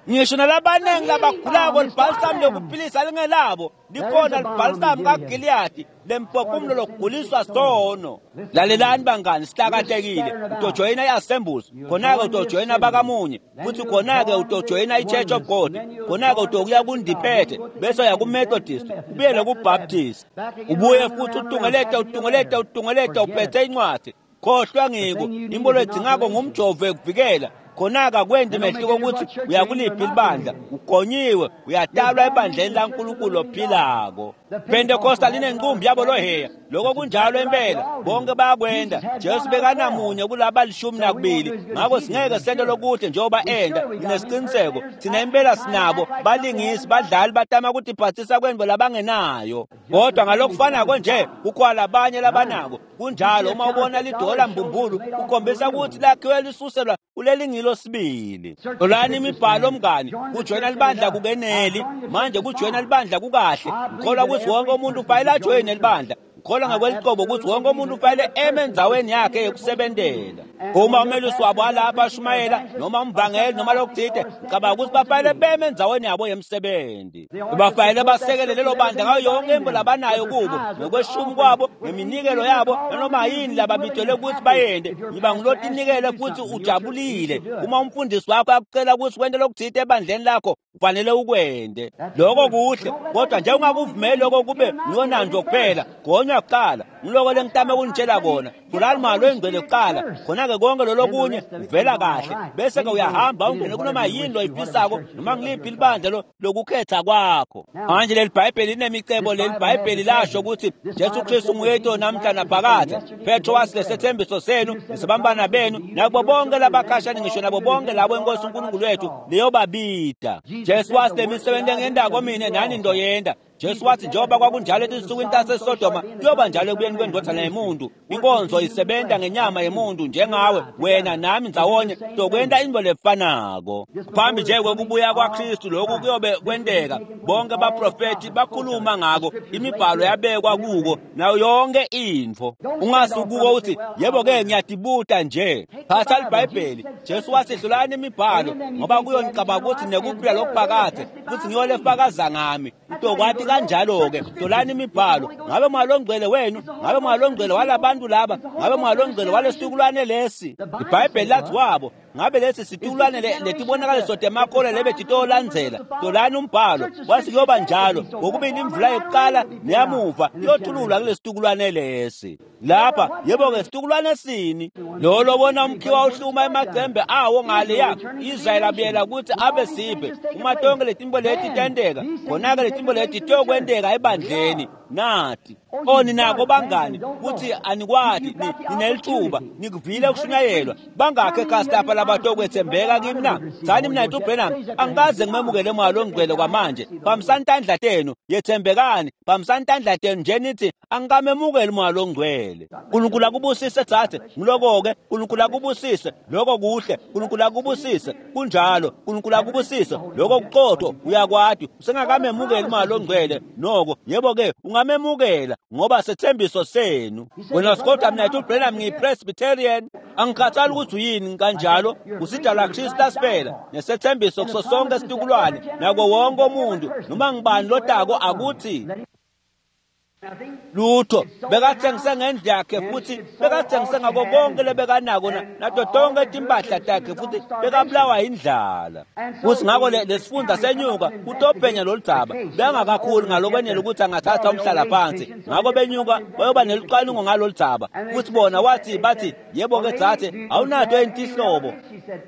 Ngisho nalabaningi labakhulako libhalisamu lokuphilisa lingelabo likhona libhalisamu kaGiliyadi lemphefumulo lokuguliswa sono. Lalelani bangani, sihlakatekile. Utojoyina i-Assemblies, khona-ke utojoyina bakamunye, futhi khona-ke utojoyina i-Church of God, khona-ke utokuya kundiphethe, bese uya ku-Methodist, ubuyele ku-Baptist, ubuye futhi utungelete utungelete utungelete uphethe incwadi. Khohlwa ngiko, imbono edzingako ngumjovo ekuvikela. Khona-ke akwendi mehluko ukuthi uyakuliphi libandla, ugonyiwe, uyatalwa ebandleni laNkulunkulu ophilako. Pentecostal inenqumbi yabo loheya, lokho kunjalo impela, bonke bayakwenda. Jesu bekanamunye kulaba lishumi nakubili, ngakho singeke sente lokuhle njengoba enda. Nginesiqiniseko thina impela sinabo balingisi, badlali batama ukutiphathisa kwemvo labangenayo, kodwa ngalokufanako nje kukhona labanye labanako. Kunjalo, uma ubona lidola mbumbulu kukhombisa ukuthi lakhiwe lisuselwa kulelingilo sibili. Hlolani imibhalo mngani, kujoyina libandla kukeneli. Manje kujoyina libandla kukahle. Ngikholwa ukuthi wonke umuntu ufanele ajoyine libandla. Ngikholwa ngokweliqobo ukuthi wonke umuntu ufanele eme endzaweni yakhe yokusebentela. Uma umelusi wabo alapha ashumayela noma umvangeli noma lokuthile, ngicabanga ukuthi bafanele beme endzaweni yabo yemsebenzi. Bafanele basekele lelo bandla ngayo yonke imbo labanayo kubo, ngokweshumi kwabo, ngeminikelo yabo, nanoma yini lababitelwe ukuthi bayende. Yiba ngulotinikele futhi ujabulile. Uma umfundisi wakho akucela ukuthi wente lokuthile ebandleni lakho, ufanele ukwende. Lokho kuhle, kodwa nje ungakuvumeli lokho kube ngiyonanto kuphela. Gonywa kuqala, ngiloko lengitame ukunitshela kona. Thulani malo engcwele kuqala, khona-ke konke lolo kunye kuvela kahle, bese-ke uyahamba ungene kunoma yini loyifisako noma ngiliphi libandla lokukhetha kwakho. Manje leli Bhayibheli linemicebo. Leli Bhayibheli lasho ukuthi Jesu Kristu nguyedwa namhla naphakade. Petro wathi lesethembiso senu nisabambana benu nakubo bonke labakhashane, ngisho nabo bonke labo inkosi uNkulunkulu wethu leyobabida. Jesu wathi lemisebenzi engendako mina nani ndoyenda. Jesu wathi njengoba kwakunjalo etinsukwini taseSodoma, kuyoba njalo ekubuyeni kwendodana yemuntu. Inkonzo isebenza ngenyama yemuntu njengawe, wena nami ndzawonye tokwenta into lefanako. Phambi nje kwekubuya kwaKristu lokhu kuyobe kwenteka. Bonke abaprofethi bakhuluma ngako, imibhalo yabekwa kuko nayo yonke intfo. Ungasukuko uthi yebo-ke ngiyadibuta nje. Thatha liBhayibheli. Jesu wathi hlolani imibhalo ngoba kuyo ngicabanga ukuthi nekuphila lokuphakade futhi ngiyo lefakaza ngami. Utokwati kanjalo-ke hlolani imibhalo. Ngabe mwalongcwele wenu, ngabe mwalongcwele walabantu laba, ngabe mwalongcwele walesitukulwane lesi. IBhayibheli lathi wabo ngabe lesi situkulwane letibonakaliso temakholwa lebetitolandzela. Hlolani umbhalo, wathi kuyoba njalo ngokubili imvula yokuqala neyamuva iyothululwa kulesitukulwane lesi. Lapha yebo-ke situkulwane sini lo lobona umkhiwa uhluma emacembe awo ngaleya. Israyeli abuyela ukuthi abe sive. Uma tonke letimbo leti tenteka, khona-ke letimbo leti tiyokwenteka ebandleni nathi. O ninako bangani kuthi anikwati, ninelithuba, nikuvile ukushunyayelwa. Bangakhe ekhasi lapha labatokwethembeka kimi na? Thani mina uBrenham, angikaze ngimemukele moya longcwele kwamanje. Bambisani tandla tenu, yethembekani, bambisani tandla tenu nje nithi angikamemukeli moya longcwele. uNkulunkulu akubusise thathe, ngiloko-ke. uNkulunkulu akubusise, lokho kuhle. uNkulunkulu akubusise, kunjalo. uNkulunkulu akubusise, lokho kuqotho. Uyakwati usengakamemukeli moya longcwele noko. Yebo-ke ungamemukela ngoba sethembiso senu. Wena kodwa mina uBrenham ngiyi-Presbyterian, angikhathali ukuthi uyini kanjalo. Usidalwa Kristu asiphela nesethembiso kuso sonke isitukulwane nako wonke umuntu noma ngibani lotako akuthi lutho. Bekathengise ngendlu yakhe futhi bekathengise ngako konke lebekanako nato tonke timpahla takhe futhi bekabulawa indlala. Futhi ngakho lesifunda senyuka kutophenya lolu dzaba. Bengakakhuli ngalokwenele ukuthi angathatha umhlala phansi, ngakho benyuka bayoba nelucwaningo ngalolu dzaba. Futhi bona wathi bathi yebo-ke dzathe awunato entihlobo.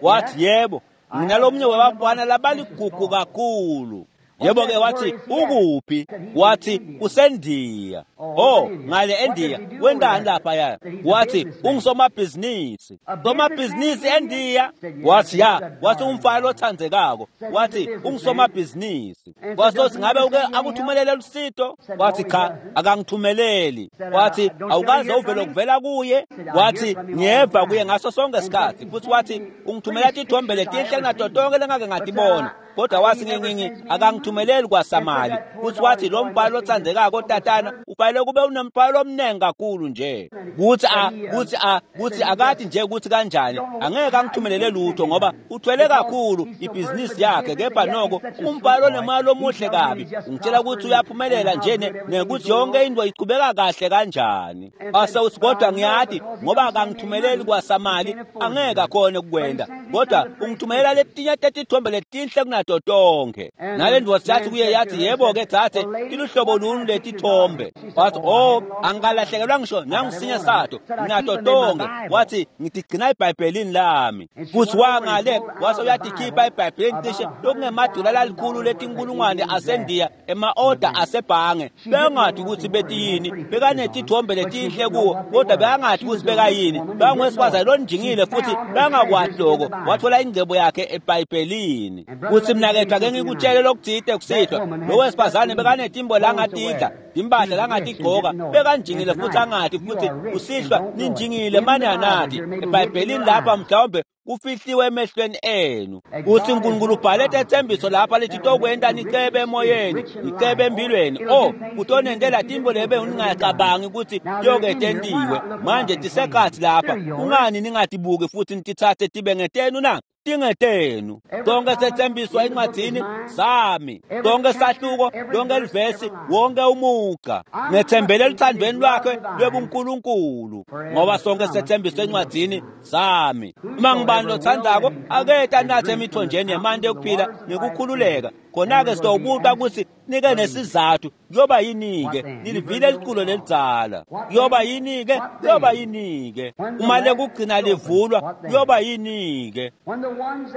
Wathi yebo, nginalomnye wabafana labaligugu kakhulu. Yebo-ke wathi ukuphi? Wathi useNdiya. Oh, ngale eNdiya wendani laphaya? Wathi ungusomabhizinisi. Somabhizinisi eNdiya? Wathi ya. Wathi umfana othandzekako. Wathi ungusomabhizinisi. Wathi othi ngabe uke akuthumelele lusito? Wathi cha, akangithumeleli. Wathi awukaze uvele ukuvela kuye? Wathi ngiyeva kuye ngaso sonke isikhathi. Futhi wathi ungithumela tithombe letinhle kunato tonke lengake ngatibona. Kodwa wathi ngingingi akangithumeleli kwasamali. Futhi wathi lo mbhalo othandekako tatana ufanele kube unemthwalo omningi kakhulu nje. Kuthi a kuthi a kuthi akathi nje ukuthi kanjani angeke angithumelele lutho ngoba uthwele kakhulu ibhizinisi yakhe, kepha noko umbhalo onemali omuhle kabi. Ungitshela ukuthi uyaphumelela nje nekuthi yonke into iqhubeka kahle kanjani. Ase uthi kodwa ngiyathi ngoba akangithumeleli kwasamali angeke akhone ukukwenda, kodwa ungithumelela letinye tetithombe letinhle kunato tonke. Nale ndvodza yathi kuye yathi yebo-ke dzadze, iluhlobo luni letithombe? Wathi oh angikalahlekelwa ngisho nangisinye sato, nginato tonke. Wathi ngitigcina ebhayibhelini lami. Futhi wangale wase uyatikhipha ebhayibhelini cishe lokungemadula lalikhulu letinkulungwane asendiya ema-oda asebhange. Bengathi ukuthi betiyini, bekanetithombe letinhle kuwo, kodwa bekangathi ukuthi bekayini. Bangowesifazane lonjingile futhi bengakwati lokho. Wathola ingcebo yakhe ebhayibhelini. Kuthi mnakethu ake ngikutshele lokuthile kusihlwa, lo wesifazane bekanetimbo langatidla, timpahla langatigqoka, bekanjingile futhi angathi futhi kusihlwa ninjingile mane anathi. Ebhayibhelini lapha mhlawumbe kufihliwe emehlweni enu. Uthi uNkulunkulu ubhale tethembiso lapha lithi tokwenta nicebe emoyeni, nicebe empilweni. Oh, kutonentela timbo lebe ningacabangi ukuthi yoke tentiwe. Manje tisekhathi lapha, kungani ningatibuki futhi nitithathe tibe ngetenu na? Tingetenu. Tonke sethembiso encwadini sami, tonke sahluko, lonke livesi, wonke umugqa. Ngethembele eluthandweni lwakhe lwebuNkulunkulu, ngoba sonke sethembiso encwadini sami. Uma ngibani lothandako aketa nathe emithonjeni yemanti yokuphila ngikukhululeka. Khona-ke sitowubuka ukuthi nike nesizathu kuyoba yini-ke nilivile liculo lelidzala, kuyoba yini-ke, kuyoba yini-ke uma lekugcina livulwa, kuyoba yini-ke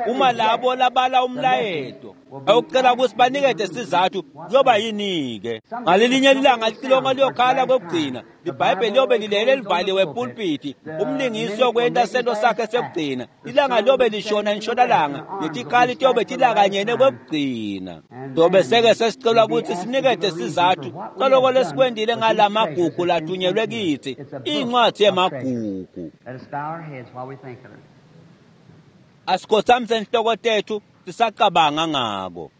uma labo labala umlayeto awucela ukuthi banikete sizathu, kuyoba yini-ke ngalelinye ilanga licilongo liyokhala kwekugcina, libhayibheli liyobe lilele livaliwe epulpiti, umlingisi yokwenta sento sakhe sekugcina, ilanga liyobe lishona entshonalanga netikhali tiyobe tilakanyene kwekugcina. Tobe seke sesicelwa ukuthi sinikete sizathu saloko lesikwendile ngalamagugu lathunyelwe kithi, incwadi yemagugu. Asikhothamise inhloko tethu sisacabanga ngako.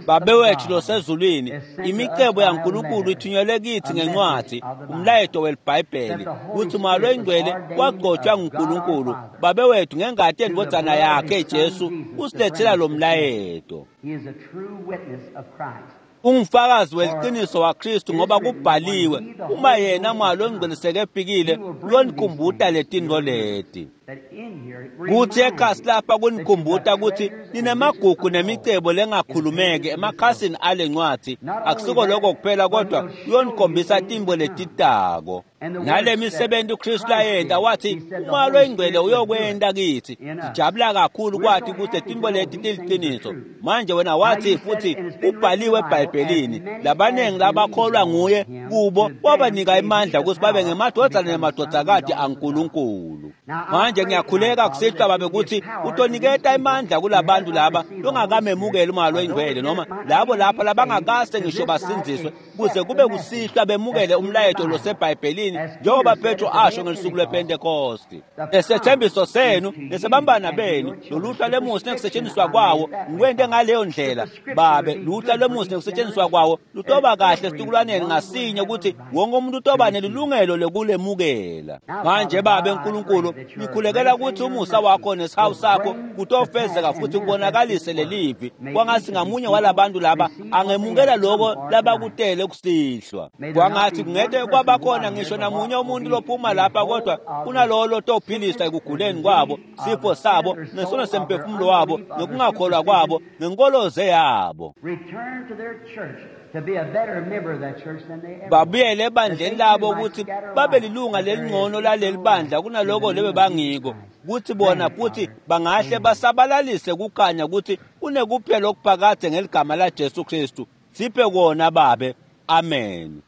Babe wethu losezulwini, imicebo yaNkulunkulu ithunyelwe kithi ngencwadi, umlayeto welibhayibheli, kuthi Moya loyiNgcwele wagcotshwa nguNkulunkulu Babe wethu ngengati yendvodzana yakhe Jesu usilethela lo mlayeto. Ungufakazi weliqiniso waKristu ngoba kubhaliwe, uma yena Moya loyiNgcwele sekefikile uyonikhumbuta letinto leti. Kuthi ekhasi lapha kunikhumbuta ukuthi ninemagugu nemicebo lengakhulumeki emakhasini ale ncwadi. Akusiko lokho kuphela, kodwa uyonikhombisa timbo letitako nale misebenzi uKristu layenta. Wathi Umoya loyiNgcwele uyokwenta kithi. Sijabula kakhulu kwathi ukuthi timbo leti tiliqiniso. Manje wena wathi futhi kubhaliwe eBhayibhelini, labaningi labakholwa nguye kubo wabanika imandla ukuthi babe ngemadvodzana nemadvodzakati aNkulunkulu. Manje ngiyakhuleka kusihlwa babe ukuthi utoniketa imandla kulabantu laba longakamemukeli Umoya loyiNgcwele, noma labo lapha labangakase ngisho basindziswe, kuze kube kusihlwa bemukele umlayeto losebhayibhelini njengoba Petro asho ngelusuku lwePentekosti. Lesethembiso senu nesebambana benu loluhla lwemusi nekusetshenziswa kwawo ngikwente ngaleyo ndlela babe. Luhla lwemusi nekusetshenziswa kwawo lutoba kahle esitukulwaneni ngasinye ukuthi wonke umuntu utoba nelilungelo lokulemukela. Manje babe Nkulunkulu, ngikhulekela ukuthi umusa wakho nesihawu sakho kutofezeka futhi kubonakalise lelivi. Kwangathi ngamunye walabantu laba angemukela lokho labakutele kusihlwa. Kwangathi kungete kwabakhona ngisho namunye umuntu lophuma lapha kodwa kunalowo lotophilisa ekuguleni kwabo, sifo sabo, nesono semphefumulo wabo, nokungakholwa kwabo, nenkoloze yabo. Babuyele ebandleni labo ukuthi babe lilunga lelingcono laleli bandla kunaloko lebe bangiko, kuthi bona futhi bangahle basabalalise kukhanya ukuthi kunekuphela okuphakade ngeligama laJesu Kristu. Siphe kona babe. Amen.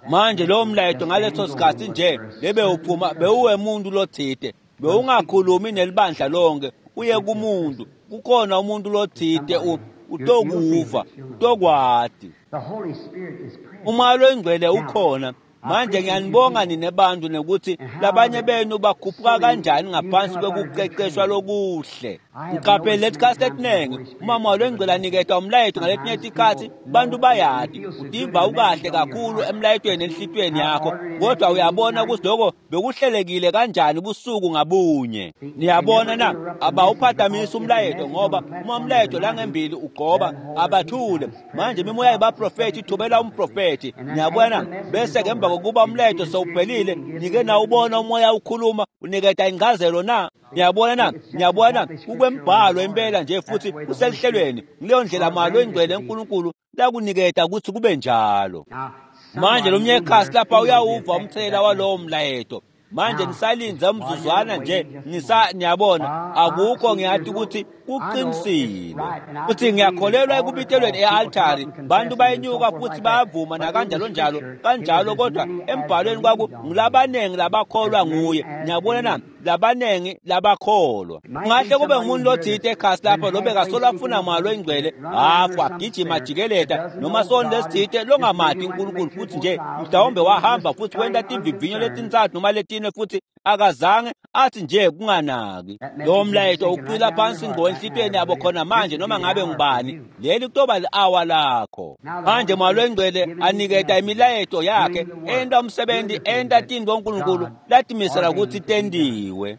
Manje lowo mlayeto ngaleso sikhatsi nje lebewuphuma bewuwemuntu lotsite, bewungakhulumi nelibandla lonke, uye kumuntu. Kukhona umuntu lotsite utokuva, utokwati. Umoya loyingcwele ukhona. Manje ngiyanibonga nine bantu nekuthi labanye benu bakhuphuka kanjani ngaphansi kwekuqeqeshwa lokuhle. Ngiqaphele letikhatsi letinengi uma Moya loyingcwele aniketa umlayeto ngaletinye tikhatsi bantu bayati utiva ukahle kakhulu emlayetweni enhlitiyweni yakho, kodwa uyabona ukuthi lokho bekuhlelekile kanjani busuku ngabunye. Niyabona na, abawuphatamisi umlayeto ngoba uma umlayeto langembili ugqoba abathule. Manje imimoya yabaprofethi ithobela umprofethi. Niyabona, bese ke emva kokuba umlayeto sewuphelile nike nawubona umoya ukhuluma uniketa incazelo na. Niyabona na, niyabona kukwembhalo impela nje futhi uselihlelweni. Kuleyo ndlela Moya loyingcwele uNkulunkulu lakuniketa ukuthi kube njalo. Manje lomnye ekhasi lapha uyawuva umthelela walowo mlayeto. Manje nisalinze umzuzwana nje nisa niyabona akukho ngiyathi ukuthi kuqinisile. Futhi ngiyakholelwa ekubitelweni e-altari, bantu bayenyuka futhi bayavuma nakanjalo njalo kanjalo, kodwa embhalweni kwaku ngulabanengi labakholwa nguye. Niyabona na, labanengi labakholwa. Kungahle kube ngumuntu lotsite ekhasi lapha lobekasola afuna Moya loyingcwele hafu agijima ajikeleta noma soni lesitsite longamati uNkulunkulu, futhi nje mhlawumbe wahamba futhi wenta timvivinyo letintsatfu noma letine futhi akazange athi nje kunganaki. Lo mlayeto ucwila phansi ngqo enhlitiyweni yabo khona manje noma ngabe ngubani. Leli kutoba li-awa lakho. Manje Moya loyingcwele aniketa imilayeto yakhe, enta umsebenzi, enta tintfo uNkulunkulu latimisela ukuthi tendiwe.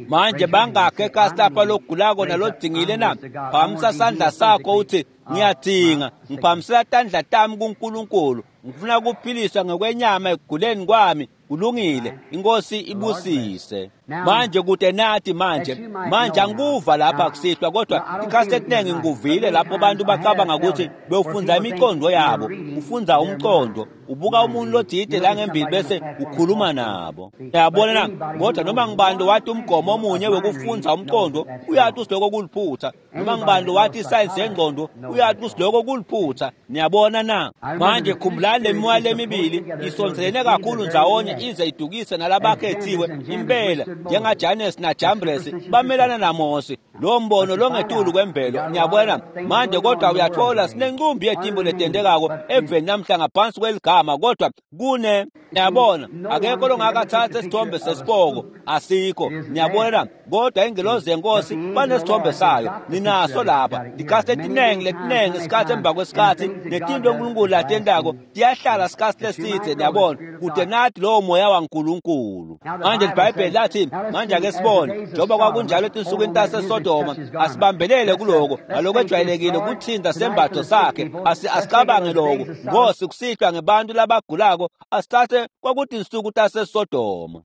Manje bangakhi ekhasi lapha logulako nalodingile na? Phamisa sandla sakho uthi ngiyadinga, ngiphamisela tandla tami kuNkulunkulu, ngifuna kuphiliswa ngokwenyama ekuguleni kwami. Kulungile, inkosi ibusise. Manje kude nathi manje manje angikuva lapha kusihlwa, kodwa ikhathi etinengi ngikuvile lapho abantu bacabanga ukuthi bewufundza imicondo yabo. Ufundza umcondo, ubuka umuntu lotsite la ngembili bese ukhuluma nabo. Uyabona na, kodwa noma ngibani wathi umgomo omunye wekufundza umcondo uyathi usiloko kuliphutha, noma ngibani wathi isayensi yengqondo uyathi usiloko kuliphutha. Niyabona na? Manje khumbulani le mimoya lemibili isondelene kakhulu ndzawonye ize idukise nalabakhethiwe impela, njengaJanes naJambres bamelana naMose. Lo mbono longetulu kwemvelo. Niyabona manje, kodwa uyathola sinencumbi yetimbo letentekako eveni namhla ngaphansi kweligama, kodwa kune niyabona akekho longakathatha isithombe sesipoko, asikho. Niyabona, kodwa ingelozi yenkosi banesithombe sayo, ninaso lapha. Ikhathi letinengi letinengi isikhathi emva kwesikhathi netinto uNkulunkulu latentako tiyahlala isikhathi lesithe. Niyabona, kude nathi lowo moya waNkulunkulu. Manje iBhayibheli lathi, manje ake sibone njengoba kwakunjalo etinsukwini taseSodoma, asibambelele kuloko nalokwejwayelekile kuthinta sembatho sakhe. Asicabange lokho Nkosi kusihlwa ngebantu labagulako, asithathe kwakutinsuku taseSodoma.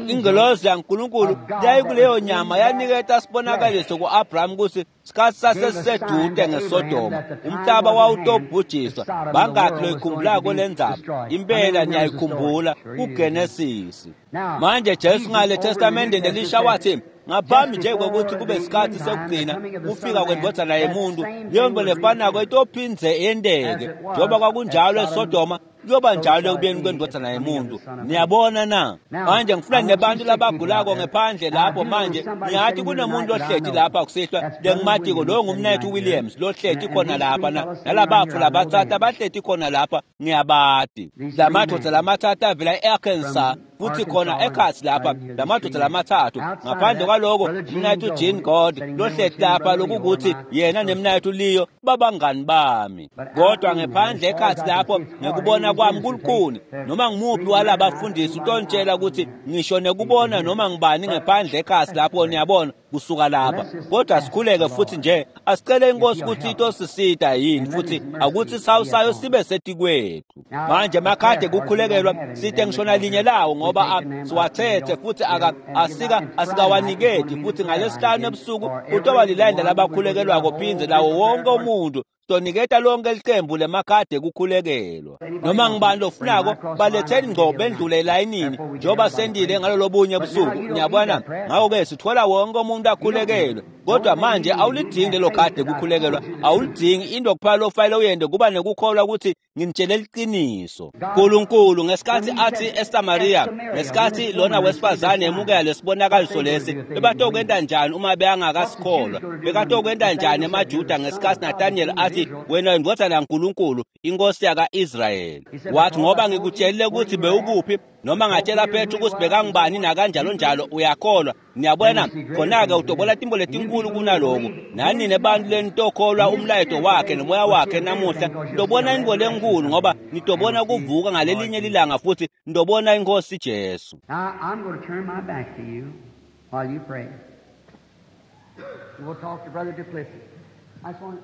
Ingelozi yaNkulunkulu yayikuleyo nyama yaniketa sibonakaliso ku-Abraham ukuthi sikhathi sasesisedude ngeSodoma, umhlaba wawutobhujiswa. Bangakhi loyikhumbulako le ndzaba? Impela niyayikhumbula kuGenesisi. Manje Jesu ngale Testamenteni elisha wathi ngaphambi nje kokuthi kube isikhathi sekugcina kufika kwendvodzana yemuntu, leyo nto lefanako itophindze yenteke. Njengoba kwakunjalo eSodoma, kuyoba njalo ekubeni kwendvodzana yemuntu. Niyabona na? Manje ngifuna nebantu labagulako ngephandle lapho manje. Ngiyathi kunemuntu lohleti lapha kusihlwa lengimatiko, lowo ngumnethu Williams lohleti khona lapha, nalabafu labatsatfu abahleti khona lapha, ngiyabati. Lamadvodza lamatsatfu avela e-Arkansas futhi khona ekhatsi lapha, lamadvodza lamatsatfu. Ngaphandle kwaloko umnethu Jean God lohleti lapha, lokukuthi yena nemnethu Leo babangani bami. Kodwa ngephandle ekhatsi lapho ngekubona kwami kulukhuni, noma ngimuphi walabafundisi utontshela ukuthi ngisho nekubona noma ngibani ngephandle ekhatsi lapho, niyabona kusuka lapha. Kodwa sikhuleke futhi nje asicele inkosi ukuthi itosisita yini futhi akuthi sawu sayo sibe setikwethu. Manje makhade kukhulekelwa site ngishona linye lawo ngoba siwathethe futhi asika asikawaniketi futhi ngalesihlanu ebusuku kutoba lilayini labakhulekelwako phindze lawo wonke umuntu. Toniketa lonke licembu lemakhadi ekukhulekelwa. Noma ngibani lofunako baletheni ngco bendlule elayinini njengoba sendile ngalolobunye busuku. Niyabona? Ngakho-ke sithola wonke umuntu akhulekelwe. Kodwa manje awulidingi lelo khadi ekukhulekelwa, awulidingi. Into kuphela lofanele uyente kuba nekukholwa ukuthi nginitshele liqiniso. Nkulunkulu ngesikhathi athi eSamaria, ngesikhathi lona wesifazane emukela lesibonakaliso lesi, bebatokwenta njani uma bengakasikholwa? Bekatokwenta njani emaJuda ngesikhathi Nathaniel athi wena indvodzana yaNkulunkulu, inkosi yaka-Israyeli? Wathi ngoba ngikutshelile ukuthi bewukuphi, noma ngatshela Petru ukuthi bekangubani nakanjalo njalo, uyakholwa. Niyabona? Khona-ke utobola timbo letinkulu kunaloku. Nani nebantu lenitokholwa umlayeto wakhe nomoya wakhe namuhla, nitobona intfo lenkulu ngoba nitobona kuvuka ngalelinye lilanga futhi nitobona inkosi Jesu. Now I'm going to turn my back to you while you pray. We'll talk to Brother Duplessis. I just want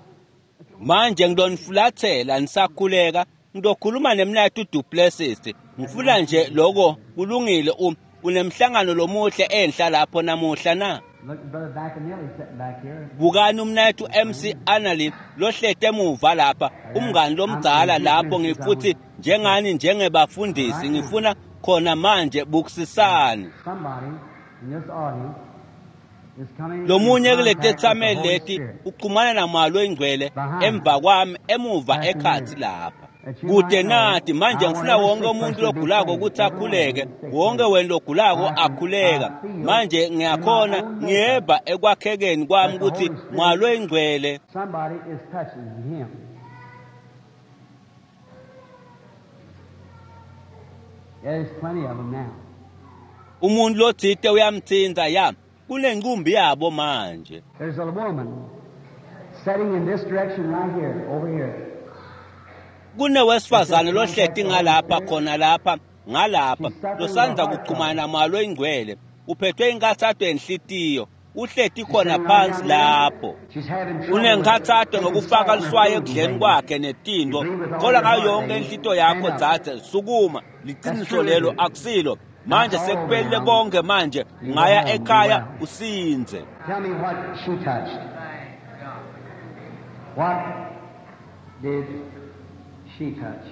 Manje ngidonifulathela nisakhuleka, ngizokhuluma nemnayethu Duplessis. Ngifuna nje lokho kulungile. Um unemhlangano lomuhle enhla lapho namuhla na? Look, Brother Bacanelli sitting back here. Bukani umnayethu M C Anali lohlete emuva lapha, umngani lomdzala lapho. Ngifuthi njengani njengebafundisi ngifuna khona manje bukusisani. Somebody in this audience is coming Lomunye in kule contact with the tethameli Holy leti Spirit. uxhumana namalo oyingcwele emva kwami emuva ekhathi lapha. Kude nathi manje ngifuna wonke umuntu logulako ukuthi akhuleke, wonke wena logulako akhuleka. Manje ngiyakhona ngiyeva ekwakhekeni kwami ukuthi mwalo oyingcwele. Somebody is touching him. There's plenty of them now. Umuntu lothite uyamthinta ya kulenqumbi yabo manje. There's a woman sitting in this direction right here, over here. Kunewesifazane lohleti ngalapha khona lapha ngalapha losandza kuxhumana namalo oyingcwele, uphethwe inkathato yenhlitiyo, uhleti khona phansi lapho. She's having trouble Unenkathato with ngokufaka liswayi taking ekudleni kwakhe netinto. Khola ngayo yonke inhlitiyo yakho dzadze, sukuma. Liqiniso lelo akusilo. Manje sekuphelile konke manje, ungaya ekhaya usinze. Tell me what she touched. What did she touch?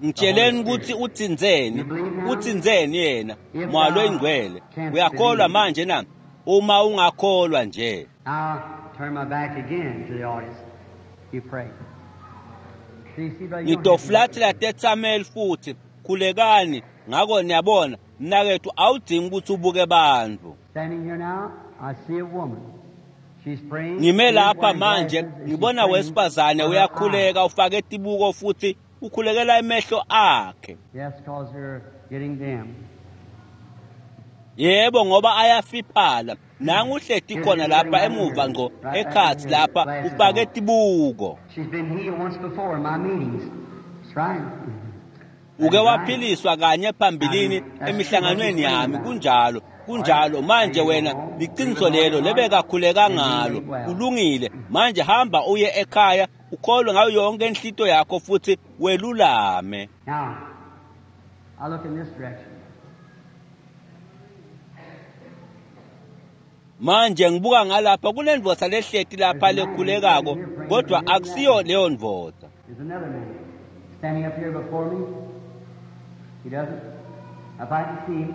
Ngitsheleni ukuthi uthinzeni, uthinzeni yena, mwalo oyingcwele. Uyakholwa manje na? Uma ungakholwa nje. I'll turn my back again to the audience. You pray. See, see, brother, you don't have to Ngitofulathela tethameli futhi khulekani. Ngakho niyabona mnakethu awudingi ukuthi ubuke bantu. Standing here now, I see a woman. She's praying. Ngime She's lapha wearing manje glasses and she's ngibona praying wesifazane for her uyakhuleka eyes. ufake tibuko futhi ukhulekela emehlo akhe. Yes, because they're getting dim. Yebo ngoba ayafiphala. Nangu uhleti khona lapha emuva ngco ekhathi lapha ufake tibuko. She's been healed once before in my meetings. That's right. Uke waphiliswa kanye phambilini emihlanganweni yami. Kunjalo, kunjalo. Manje wena liqiniso lelo lebekakhuleka ngalo. Kulungile. Manje hamba uye ekhaya ukholwe ngayo yonke inhlito yakho futhi welulame. Now, I look in this direction. Manje ngibuka ngalapha kunendvodza lehleti lapha lekhulekako kodwa akusiyo leyo ndvodza. There's another man standing up here before me. He doesn't. If I can see him,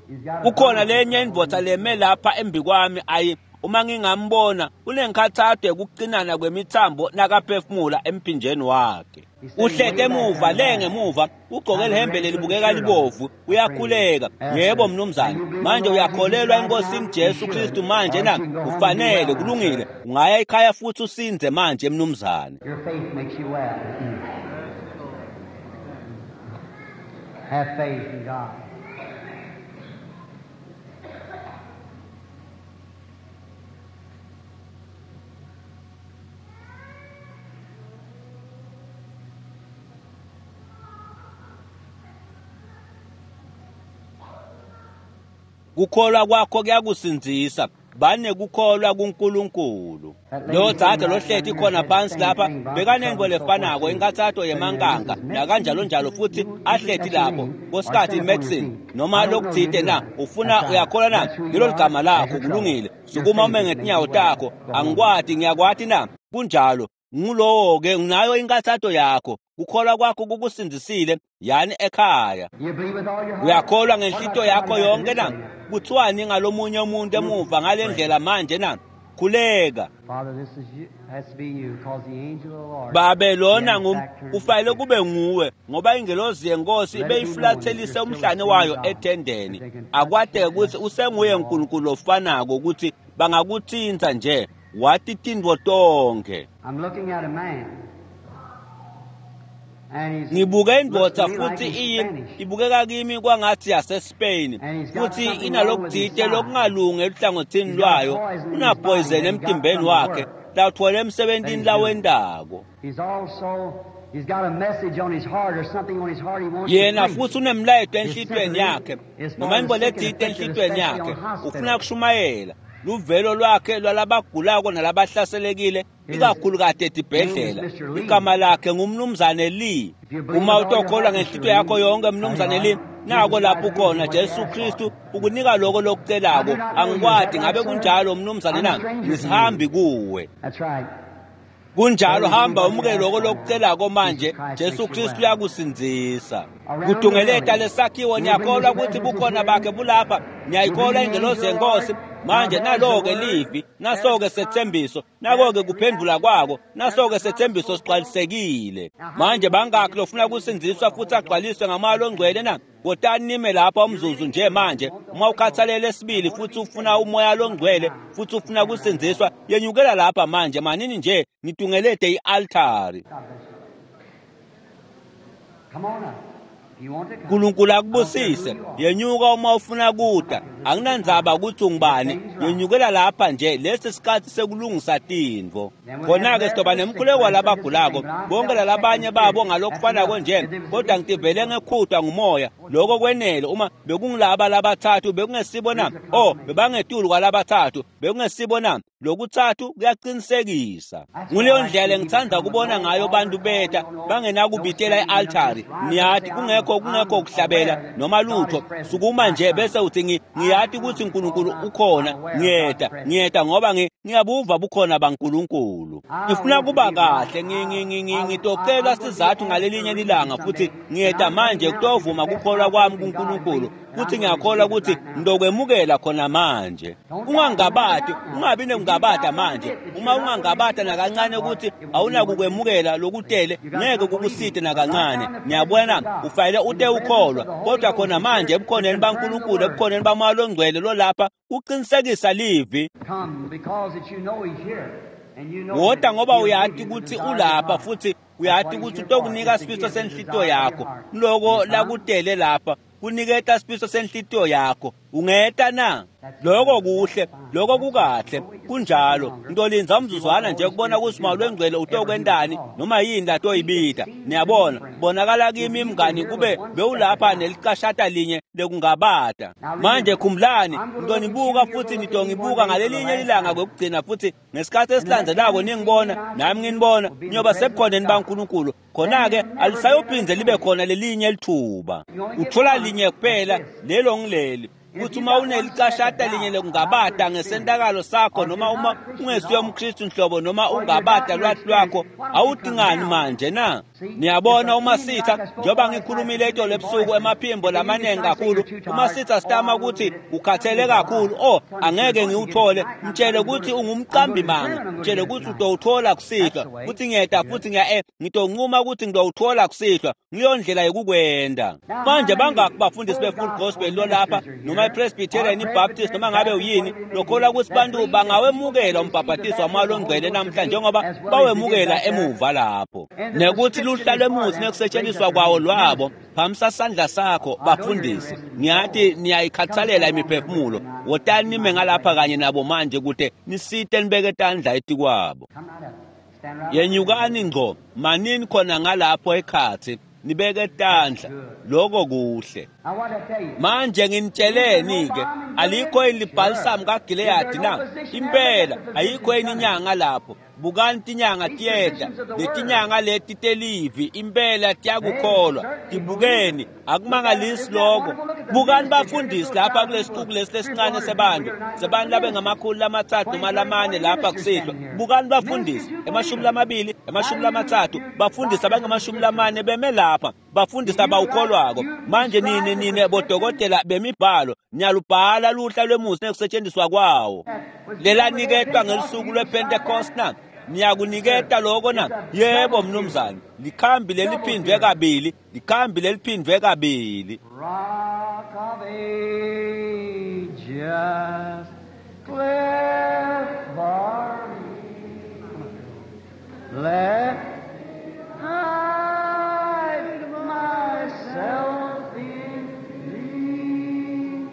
he's got a Kukhona lenye indvodza leme lapha embikwami ayi uma ngingambona unenkathato yokucinana kwemithambo nakaphefumula emphinjeni wakhe. Uhlete emuva le ngemuva ugqoke lihembe lelibukeka libovu uyakhuleka. Yebo mnumzane, manje uyakholelwa enkosini Jesu Kristu manje na? Ufanele, kulungile. Ungaya ekhaya futhi usinze manje mnumzane. Your faith makes you well. Have faith in God. Kukholwa kwakho kuyakusindzisa. Banekukholwa kuNkulunkulu. Lo dzadze lohleti khona phansi lapha bekanentfo lefanako inkathato yemankanka nakanjalo njalo futhi ahleti lapho kosikhathi medicine noma lokuthite na ufuna uyakholwa na lelo ligama lakho kulungile. Sukuma ume ngetinyawo takho. Angikwati ngiyakwati na? Kunjalo. Ngulowo-ke unayo inkathato yakho. Kukholwa kwakho kukusindzisile, yani ekhaya. You believe with all your heart? Uyakholwa ngenhlito yakho yonke na? Kuthiwani ngalomunye umuntu emuva ngale ndlela manje na? Khuleka. Father, this is you, has to be you, because the angel of the Lord. Babe lona He ngum had back turned kufanele kube nguwe ngoba ingelozi yenkosi ibeyiflathelise umhlane wayo ethendeni. Akwateke ukuthi usenguye uNkulunkulu ofanako ukuthi bangakuthinta nje wathi tintfo tonke. I'm looking at a man. And he's Ngibuke indvodza looks to me like futhi he's iyi Spanish. ibukeka kimi kwangathi yaseSpain futhi inalokuthite lokungalungi eluhlangothini lwayo unapoison emtimbeni wakhe lawuthola emsebentini lawendako. He's also he's got a message on his heart or something on his heart he wants Yena to preach. futhi unemlayeto enhlitweni yakhe noma intfo letsite enhlitweni yakhe ufuna kushumayela luvelo lwakhe lwalabagulako nalabahlaselekile ikakhulukati etibhedlela. Igama lakhe ngumnumzane Lee. Uma utokholwa ngenhlitiyo yakho yonke mnumzane Lee, nako lapho ukhona. Jesu Kristu ukunika lokho lokucelako. Angikwati ngabe kunjalo mnumzane na? Ngisihambi kuwe. That's right. Kunjalo, hamba umukele lokho lokucelako manje. Jesu Kristu uyakusindzisa. Kudungeleta lesakhiwo, niyakholwa ukuthi bukhona bakhe bulapha? Niyayikholwa ingelozi yenkosi? Manje nalo-ke livi, naso-ke sethembiso, nako-ke kuphendula kwako, naso-ke sethembiso sigcwalisekile. Manje bangakhi lofuna kusindziswa futhi agcwaliswe ngamoya longcwele na? Kotani nime lapha umzuzu nje manje. Uma ukhathalele esibili futhi ufuna umoya longcwele futhi ufuna kusindziswa, yenyukela lapha manje. Manini nje nitungelete i-altari. God bless you. Come on up. If you want to come. uNkulunkulu akubusise. Yenyuka uma ufuna kuda. Anginandzaba ukuthi ungubani. Yenyukela lapha nje. Lesi sikhathi sekulungisa tintfo. Khona-ke sizoba nemkhuleko walabagulako bonke lalabanye babo ngalokufanako nje, kodwa ngitivele ngekhutwa ngumoya. Lokho kwenele. Uma bekungilaba labathathu bekungesibo na? Oh, bebangetulu kwalabathathu bekungesibo na? Lokuthathu kuyaqinisekisa. Nguleyo ndlela engithanda kubona ngayo bantu beta bangenakubitela i-altari. Niyati kungekho kungekho ukuhlabela noma lutho. Sukuma nje bese uthi ngi- ngiyati ukuthi uNkulunkulu ukhona. Ngiyeta, ngiyeta ngoba ngi- ngiyabuva bukhona baNkulunkulu. Ngifuna kuba kahle, ngi- ngi- ngi- ngi- ngitocela sizathu ngalelinye ilanga futhi ngiyeta manje kutovuma kukholwa kwami kuNkulunkulu. Futhi ngiyakholwa ukuthi ngizokwemukela khona manje. Ungangabati, ungabi nekungabata manje. Uma ungangabata nakancane ukuthi awunakukwemukela lokutele, ngeke kukusite nakancane. Niyabona, ufanele ute ukholwa. Kodwa khona manje ebukhoneni baNkulunkulu, ebukhoneni baMoya loNgcwele lolapha uqinisekisa livi. Come because that you know he's here. And you know Wota that ngoba he'll uyati give you the ukuthi desire of your ulapha heart. futhi uyati ukuthi utokunika sifiso senhlitiyo yakho. Loko lakutele lapha kuniketa sifiso senhlitiyo yakho. Ungeta na? Lokho kuhle, lokho kukahle, kunjalo. Ngitolinza umzuzwana nje kubona ukuthi uMoya loNgcwele utokwentani noma yini latoyibita. Niyabona, bonakala kimi mngani kube bewulapha nelicashata linye lekungabata. Manje khumbulani, ngitonibuka futhi nitongibuka ngalelinye ilanga kwekugcina futhi ngesikhathi esilandzelako ningibona nami nginibona niyoba sebukhoneni baNkulunkulu. Khona-ke alisayophindze libe khona lelinye lithuba. Uthola linye kuphela, lelo ngileli. Kuthi uma unelicashata linye lekungabata ngesentakalo sakho noma uma ungesuye umKristu nhlobo noma ungabata lwathi lwakho, awudingani manje na? Niyabona uma sitha, njengoba ngikhulumile itolo ebusuku emaphimbo lamaningi kakhulu, uma sitha sitama ukuthi ukhathele kakhulu, oh angeke ngiwuthole, mtshele ukuthi ungumqambi manga, mtshele ukuthi utowuthola kusihlwa, futhi ngiyeta futhi ngiya eh ngitoncuma ukuthi ngitowuthola kusihlwa. Ngiyo ndlela yokukwenda. Manje bangaki bafundisi be-Full Gospel lolapha noma i-Presbyterian, i-Baptist noma ngabe uyini lokholwa ukuthi bantu bangawemukela umbhabhatiso waMoya loNgcwele namhla njengoba bawemukela emuva lapho, nekuthi luhla lwemuthi nekusetshenziswa kwawo lwabo. Phamisa sandla sakho bafundisi, ngiyathi niyayikhathalela imiphefumulo. Wotani nime ngalapha kanye nabo manje kude nisite nibeke tandla etikwabo. Come right up. Stand right up. Yenyukani ngco, manini khona ngalapho ekhathi nibeke tandla. Lokho kuhle. I want to tell you. Manje nginitsheleni-ke, alikho yini libhalisamu kaGileyadi na? Impela ayikho yini inyanga lapho? Bukani tinyanga tiyeta, letinyanga leti telivi impela tiyakukholwa. Tibukeni, akumangalisi lokho. Bukani bafundisi lapha kulesixuku lesi lesincane sebantu sebantu labengamakhulu lamatsatfu noma lamane lapha kusihlwa. Bukani bafundisi emashumi lamabili emashumi lamatsatfu bafundisi abangamashumi lamane beme lapha bafundisi abawukholwako. Manje nini nine bodokotela bemibhalo niyalubhala luhla lwemusi nekusetshenziswa kwawo lelaniketwa ngelusuku lwePentecost na? Niyakuniketa lokho na? Yebo mnumzane, likhambi leliphindwe kabili, likhambi leliphindwe kabili. Rock of Ages, cleft for me, let hide myself in thee.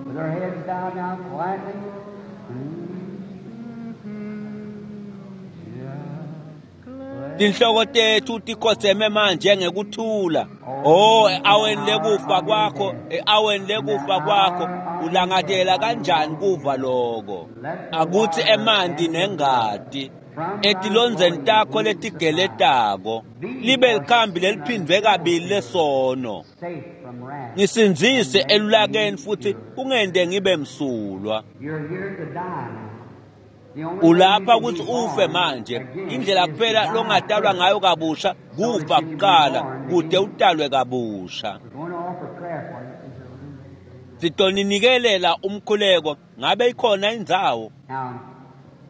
With our heads bowed now quietly. Tinhloko tethu tikhotseme manje ngekuthula. Oh, e-aweni lekufa kwakho, e-aweni lekufa kwakho, ulangatela kanjani kuva lokho? Akuthi emanti nengati etilondzeni takho letigeletako libe likhambi leliphindwe kabili lesono. Safe from wrath. Ngisindzise elulakeni futhi ungente ngibe msulwa. You're here to die now. The only way Ulapha you can ukuthi be ufe born manje. again Indlela is to kuphela die longatalwa first. ngayo kabusha kufa kuqala kude utalwe kabusha. We're going to offer prayer for you. Sitonikelela umkhuleko ngabe ikhona indzawo. Now,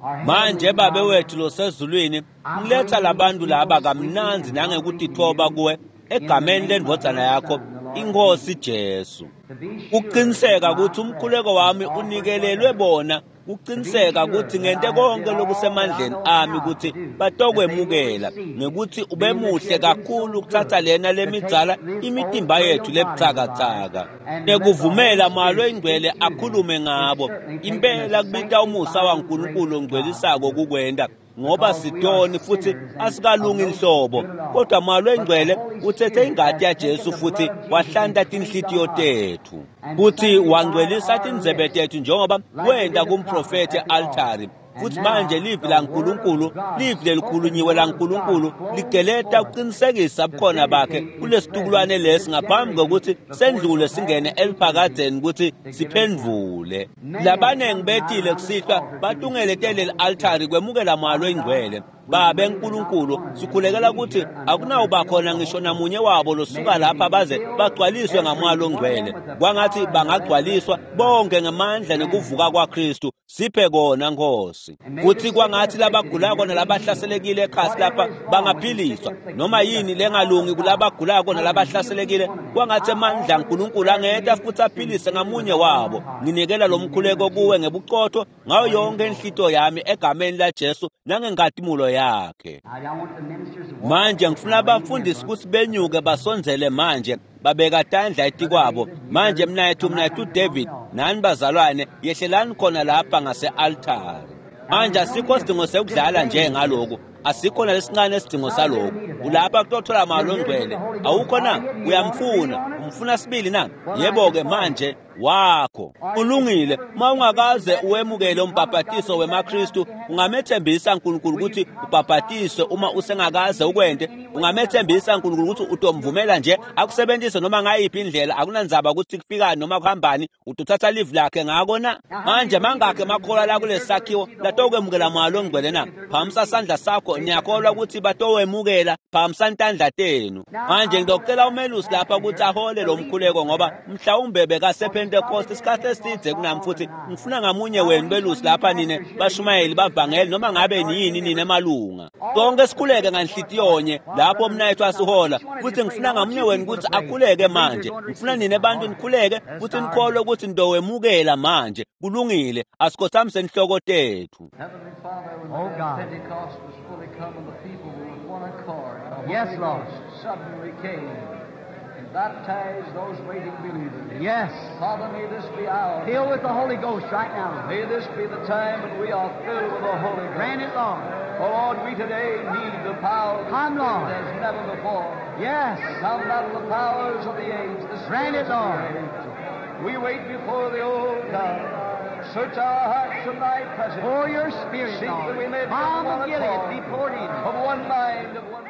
our Manje Heavenly babe Father, wethu losezulwini, ngiletha labantu laba kamnandzi nangekutithoba kuwe egameni lendvodzana yakho iNkosi Jesu. to be sure Kuqiniseka that my ukuthi umkhuleko wami prayer is unikelelwe bona, kuqiniseka ukuthi ngente konke lokusemandleni ami ukuthi batokwemukela, ngekuthi ube muhle kakhulu ukuthatha lena lemidzala imitimba yethu lebutsakatsaka nekuvumela Moya Longcwele akhulume ngabo. Impela kubita umusa waNkulunkulu ongcwelisako kukwenta, ngoba sitoni futhi asikalungi inhlobo, kodwa Moya Longcwele uthethe ingati yaJesu futhi wahlanta tinhlitiyo tethu futhi wangcwelisa tindzebe tethu njengoba wenta kumprofethi e-altari. Futhi manje livi laNkulunkulu, livi lelikhulunyiwe laNkulunkulu ligeleta ukuqinisekisa bukhona bakhe kulesitukulwane lesi ngaphambi kokuthi sendlule singene eliphakadzeni ukuthi siphendvule. Labanengi betile kusihlwa batungeletele li-altari kwemukela Moya Longcwele. Babe Nkulunkulu, sikhulekela ukuthi akunawuba khona ngisho namunye wabo losuka lapha baze bagcwaliswe ngaMoya Longcwele. Kwangathi bangagcwaliswa bonke ngemandla nekuvuka kwaKristu. Siphe kona Nkosi. Kuthi kwangathi labagulako nalabahlaselekile ekhasi lapha bangaphiliswa. Noma yini lengalungi kulabagulako nalabahlaselekile, kwangathi amandla aNkulunkulu angeta futhi aphilise ngamunye wabo. Nginikela lo mkhuleko kuwe ngebuqotho ngayo yonke inhlito yami egameni laJesu nangenkatimulo yakhe. I I want the ministers to walk Manje ngifuna abafundisi ukuthi benyuke basondzele manje babeka tandla etikwabo. Manje mnayethu mnayethu David nani bazalwane yehlelani khona lapha ngase-altari. Manje asikho sidingo sekudlala nje ngalokhu, asikho nalesincane isidingo salokhu. Ulapha kutothola Moya Longcwele, awukho na? Uyamfuna, umfuna sibili na? Yebo-ke manje wakho ulungile. Uma ungakaze uwemukele umbhabhatiso wemaKristu, ungamethembisa uNkulunkulu ukuthi ubhabhatiswe uma usengakaze ukwente. Ungamethembisa uNkulunkulu ukuthi utomvumela nje akusebenzise noma ngayiphi indlela, akunandzaba ukuthi kufikani noma kuhambani, utothatha livi lakhe ngako na? Manje mangakhe makholwa la kulesi sakhiwo latokwemukela Moya Longcwele na? Phakamisa sandla sakho, niyakholwa ukuthi batowemukela, phakamisa tandla tenu. Manje ngizocela umelusi lapha ukuthi ahole lo mkhuleko ngoba mhlawumbe bekasephendukile ePhentekoste isikhathi esidze kunami, futhi ngifuna ngamunye wenu belusi lapha nine bashumayeli bavangeli noma ngabe niyini nine malunga sonke sikhuleke nganhlitiyonye lapho mnayethu asihola, futhi ngifuna ngamunye wenu ukuthi akhuleke manje. Ngifuna nine bantu nikhuleke futhi nikholwe ukuthi nitowemukela manje. Kulungile, asikhothamise inhloko tethu. Heavenly Father, when Oh, the day of God. Pentecost was fully come and the people were with one accord, the Yes, Holy Lord. Ghost suddenly came and baptized those waiting believers. Yes. Father, may this be our Fill with the Holy Ghost right now. May this be the time when we are filled with the Holy Ghost. Grant it, Lord. Oh, Lord, we today need the power of the Come, Lord. Spirit as never before. Yes. Come out of the powers of the age, the Grant it, spirits of Lord. the age. We wait before the old God. Search our hearts in thy presence. Pour your Spirit, Seek that Lord. we may be Balm of of one Gilead accord, be poured in. of one mind, of one